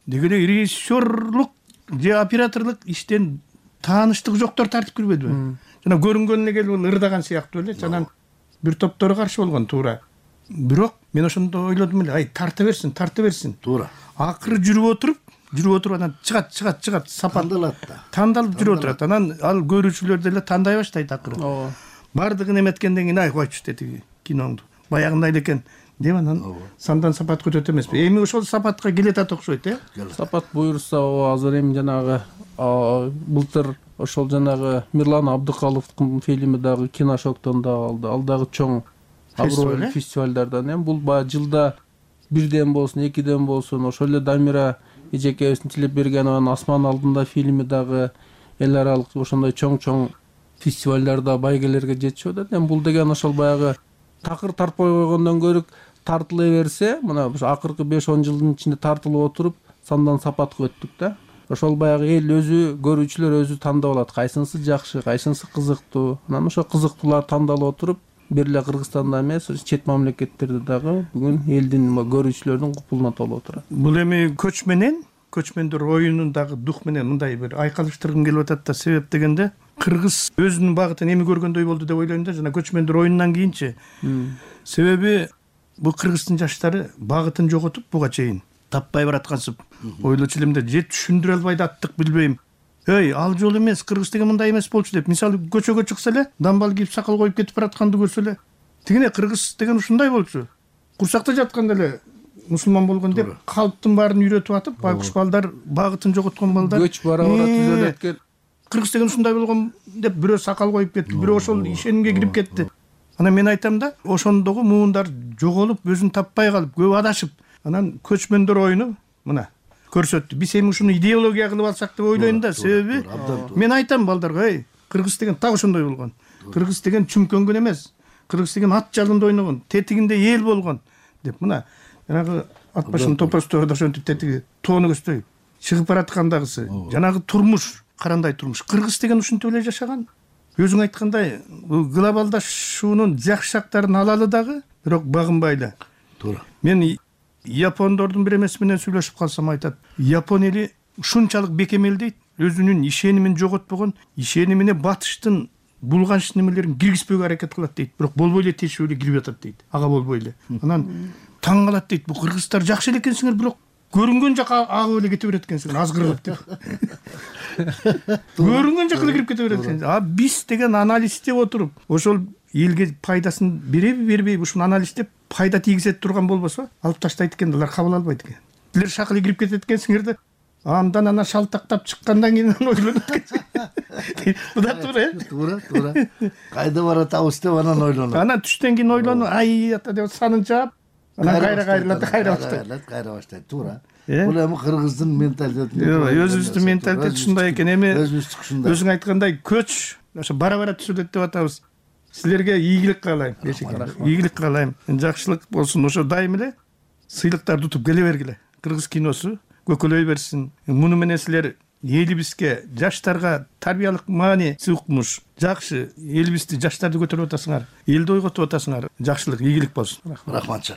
Деги эле режиссерлук же операторлук иштен тааныштыгы жоктор тартып кирбедиби? Жана көрүнгөнүнө келип ырдаган сыяктуу эле. Анан бир топтору каршы болгон, туура. Бирок мен ошондо ойлодум эле, ай тарта берсин, тарта берсин. Туура. Акыры жүрүп отуруп, жүрүп отуруп анан чыгат, чыгат, чыгат, сапат тандалат да. Тандалып жүрүп отурат. Анан ал көрүүчүлөр деле тандай баштайт акыры. Ооба. Бардыгын эметкенден кийин ай койчу деди киноңду. Баягындай эле экен деп анан сандан сапат көтөт эмеспи? Эми ошол сапатка келетат окшойт, э? Сапат буюрса, азыр эми жанагы былтыр ошол жанагы Мирлан Абдыкаловдун фильми дагы Киношоктон да алды. Ал дагы чоң абройлуу фестивалдардан. Эми бул баягы жылда бирден болсун, экиден болсун, ошол эле Дамира эжекебиздин Тилепбергенованын Асман алдында фильми дагы эл аралык ошондой чоң-чоң фестивалдарда байгелерге жетишип атат. Эми бул деген ошол баягы такыр тартпай койгондон көрүк тартыла берсе, мына акыркы беш он жылдын ичинде тартылып отуруп, сандан сапатка өттүк да. Ошол баягы эл өзү, көрүүчүлөр өзү тандап алат, кайсынысы жакшы, кайсынысы кызыктуу. Анан ошо кызыктуулар тандалып отуруп, бир эле Кыргызстанда эмес, чет мамлекеттерде дагы бүгүн элдин, көрүүчүлөрдүн купулуна толуп отурат. Бул эми көч менен, көчмөндөр оюнун дагы дух менен мындай бир айкалыштыргым келип атат да. Себеп дегенде кыргыз өзүнүн багытын эми көргөндөй болду деп ойлойм да, жана көчмөндөр оюнунан кийинчи. Себеби бул кыргыздын жаштары багытын жоготуп буга чейин таппай бараткансып, ойлочу элем да, же түшүндүрө албай да аттык билбейм. Эй, ал жол эмес, кыргыз деген мындай эмес болчу деп. Мисалы көчөгө чыкса эле, дамбал кийип сакал коюп кетип баратканды көрсө эле, тигине кыргыз деген ушундай болчу. Курсакта жатканда эле мусулман болгон деп калптын баарын үйрөтүп атып, байкуш балдар, багытын жоготкон балдар. Көч бара бара түзөлөт экен. Кыргыз деген ушундай болгон деп бирөө сакал коюп кетти, бирөө ошол ишенимге кирип кетти. Анан мен айтам да, ошондогу муундар жоголуп, өзүн таппай калып, көп адашып, анан көчмөндөр оюну мына көрсөттү. Биз эми ушуну идеология кылып алсак деп ойлойм да. Себеби мен айтам балдарга, эй, кыргыз деген так ошондой болгон. Кыргыз деген чүмкөнгөн эмес. Кыргыз деген ат жалында ойногон, тетигинде эл болгон деп. Мына жанагы ат башын топостор да ошентип тетиги тоону көздөй чыгып бараткандагысы. Жанагы турмуш, карандай турмуш. Кыргыз деген ушинтип эле жашаган. Өзүң айткандай, глобалдашуунун жакшы жактарын алалы дагы, бирок багынбай эле. Туура. Мен япондордун бир эмеси менен сүйлөшүп калсам айтат, япон эли ушунчалык бекемел дейт, өзүнүн ишенимин жоготпогон, ишенимине батыштын булганч немелерин киргизпөөгө аракет кылат дейт, бирок болбой эле тиешип эле кирип атат дейт. Ага болбой эле. Анан таң калат дейт, бул кыргыздар жакшы эле экенсиңер, бирок көрүнгөн жака агып эле кете берет экенсиңер, азгырып деп. Көрүнгөн жака эле кирип кете берет экенсиңер. А биз деген анализдеп отуруп, ошол элге пайдасын береби, бербейби, ушуну анализдеп пайда тийгизет турган болбосо, алып таштайт экен, алар кабыл албайт экен. Силер шакылы кирип кетет экенсиңер да, андан ана шалтактап чыккандан кийин ойлонот экен. Бу да туура, э? Туура, туура. Кайда баратабыз деп анан ойлонот. Анан түштөн кийин ойлонуп, ай ата деп санын чаап, анан кайра кайрылат, кайра баштайт. Кайра баштайт, туура. Бул эми кыргыздын менталитети. Өзүбүздүн менталитет ушундай экен. Эми өзүң айткандай көч ошо бара-бара түзүлөт деп атабыз. Силерге ийгилик каалайм, ийгилик каалайм. Жакшылык болсун. Ошо дайым эле сыйлыктарды утуп келе бергиле. Кыргыз киносу көкөлөй берсин. Муну менен силер элибизге, жаштарга тарбиялык маани укмуш, жакшы элибизди, жаштарды көтөрүп атасыңар, элди ойготуп атасыңар. Жакшылык, ийгилик болсун. Рахмат.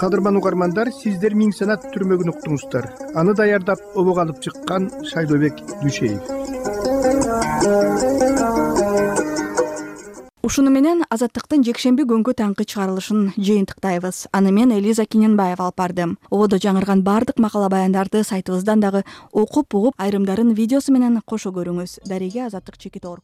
кадырман угармандар, сиздер Миң санат түрмөгүн уктуңуздар. Аны даярдап обого алып чыккан Шайлообек Дүйшеев. Ушуну менен Азаттыктын жекшемби күнгү таңкы чыгарылышын жыйынтыктайбыз. Аны мен Элиза Киненбаева алып бардым. Ободо жаңырган бардык макала баяндарды сайтыбыздан дагы окуп угуп, айрымдарын видеосу менен кошо көрүңүз. Дареге Азаттык Чекитор.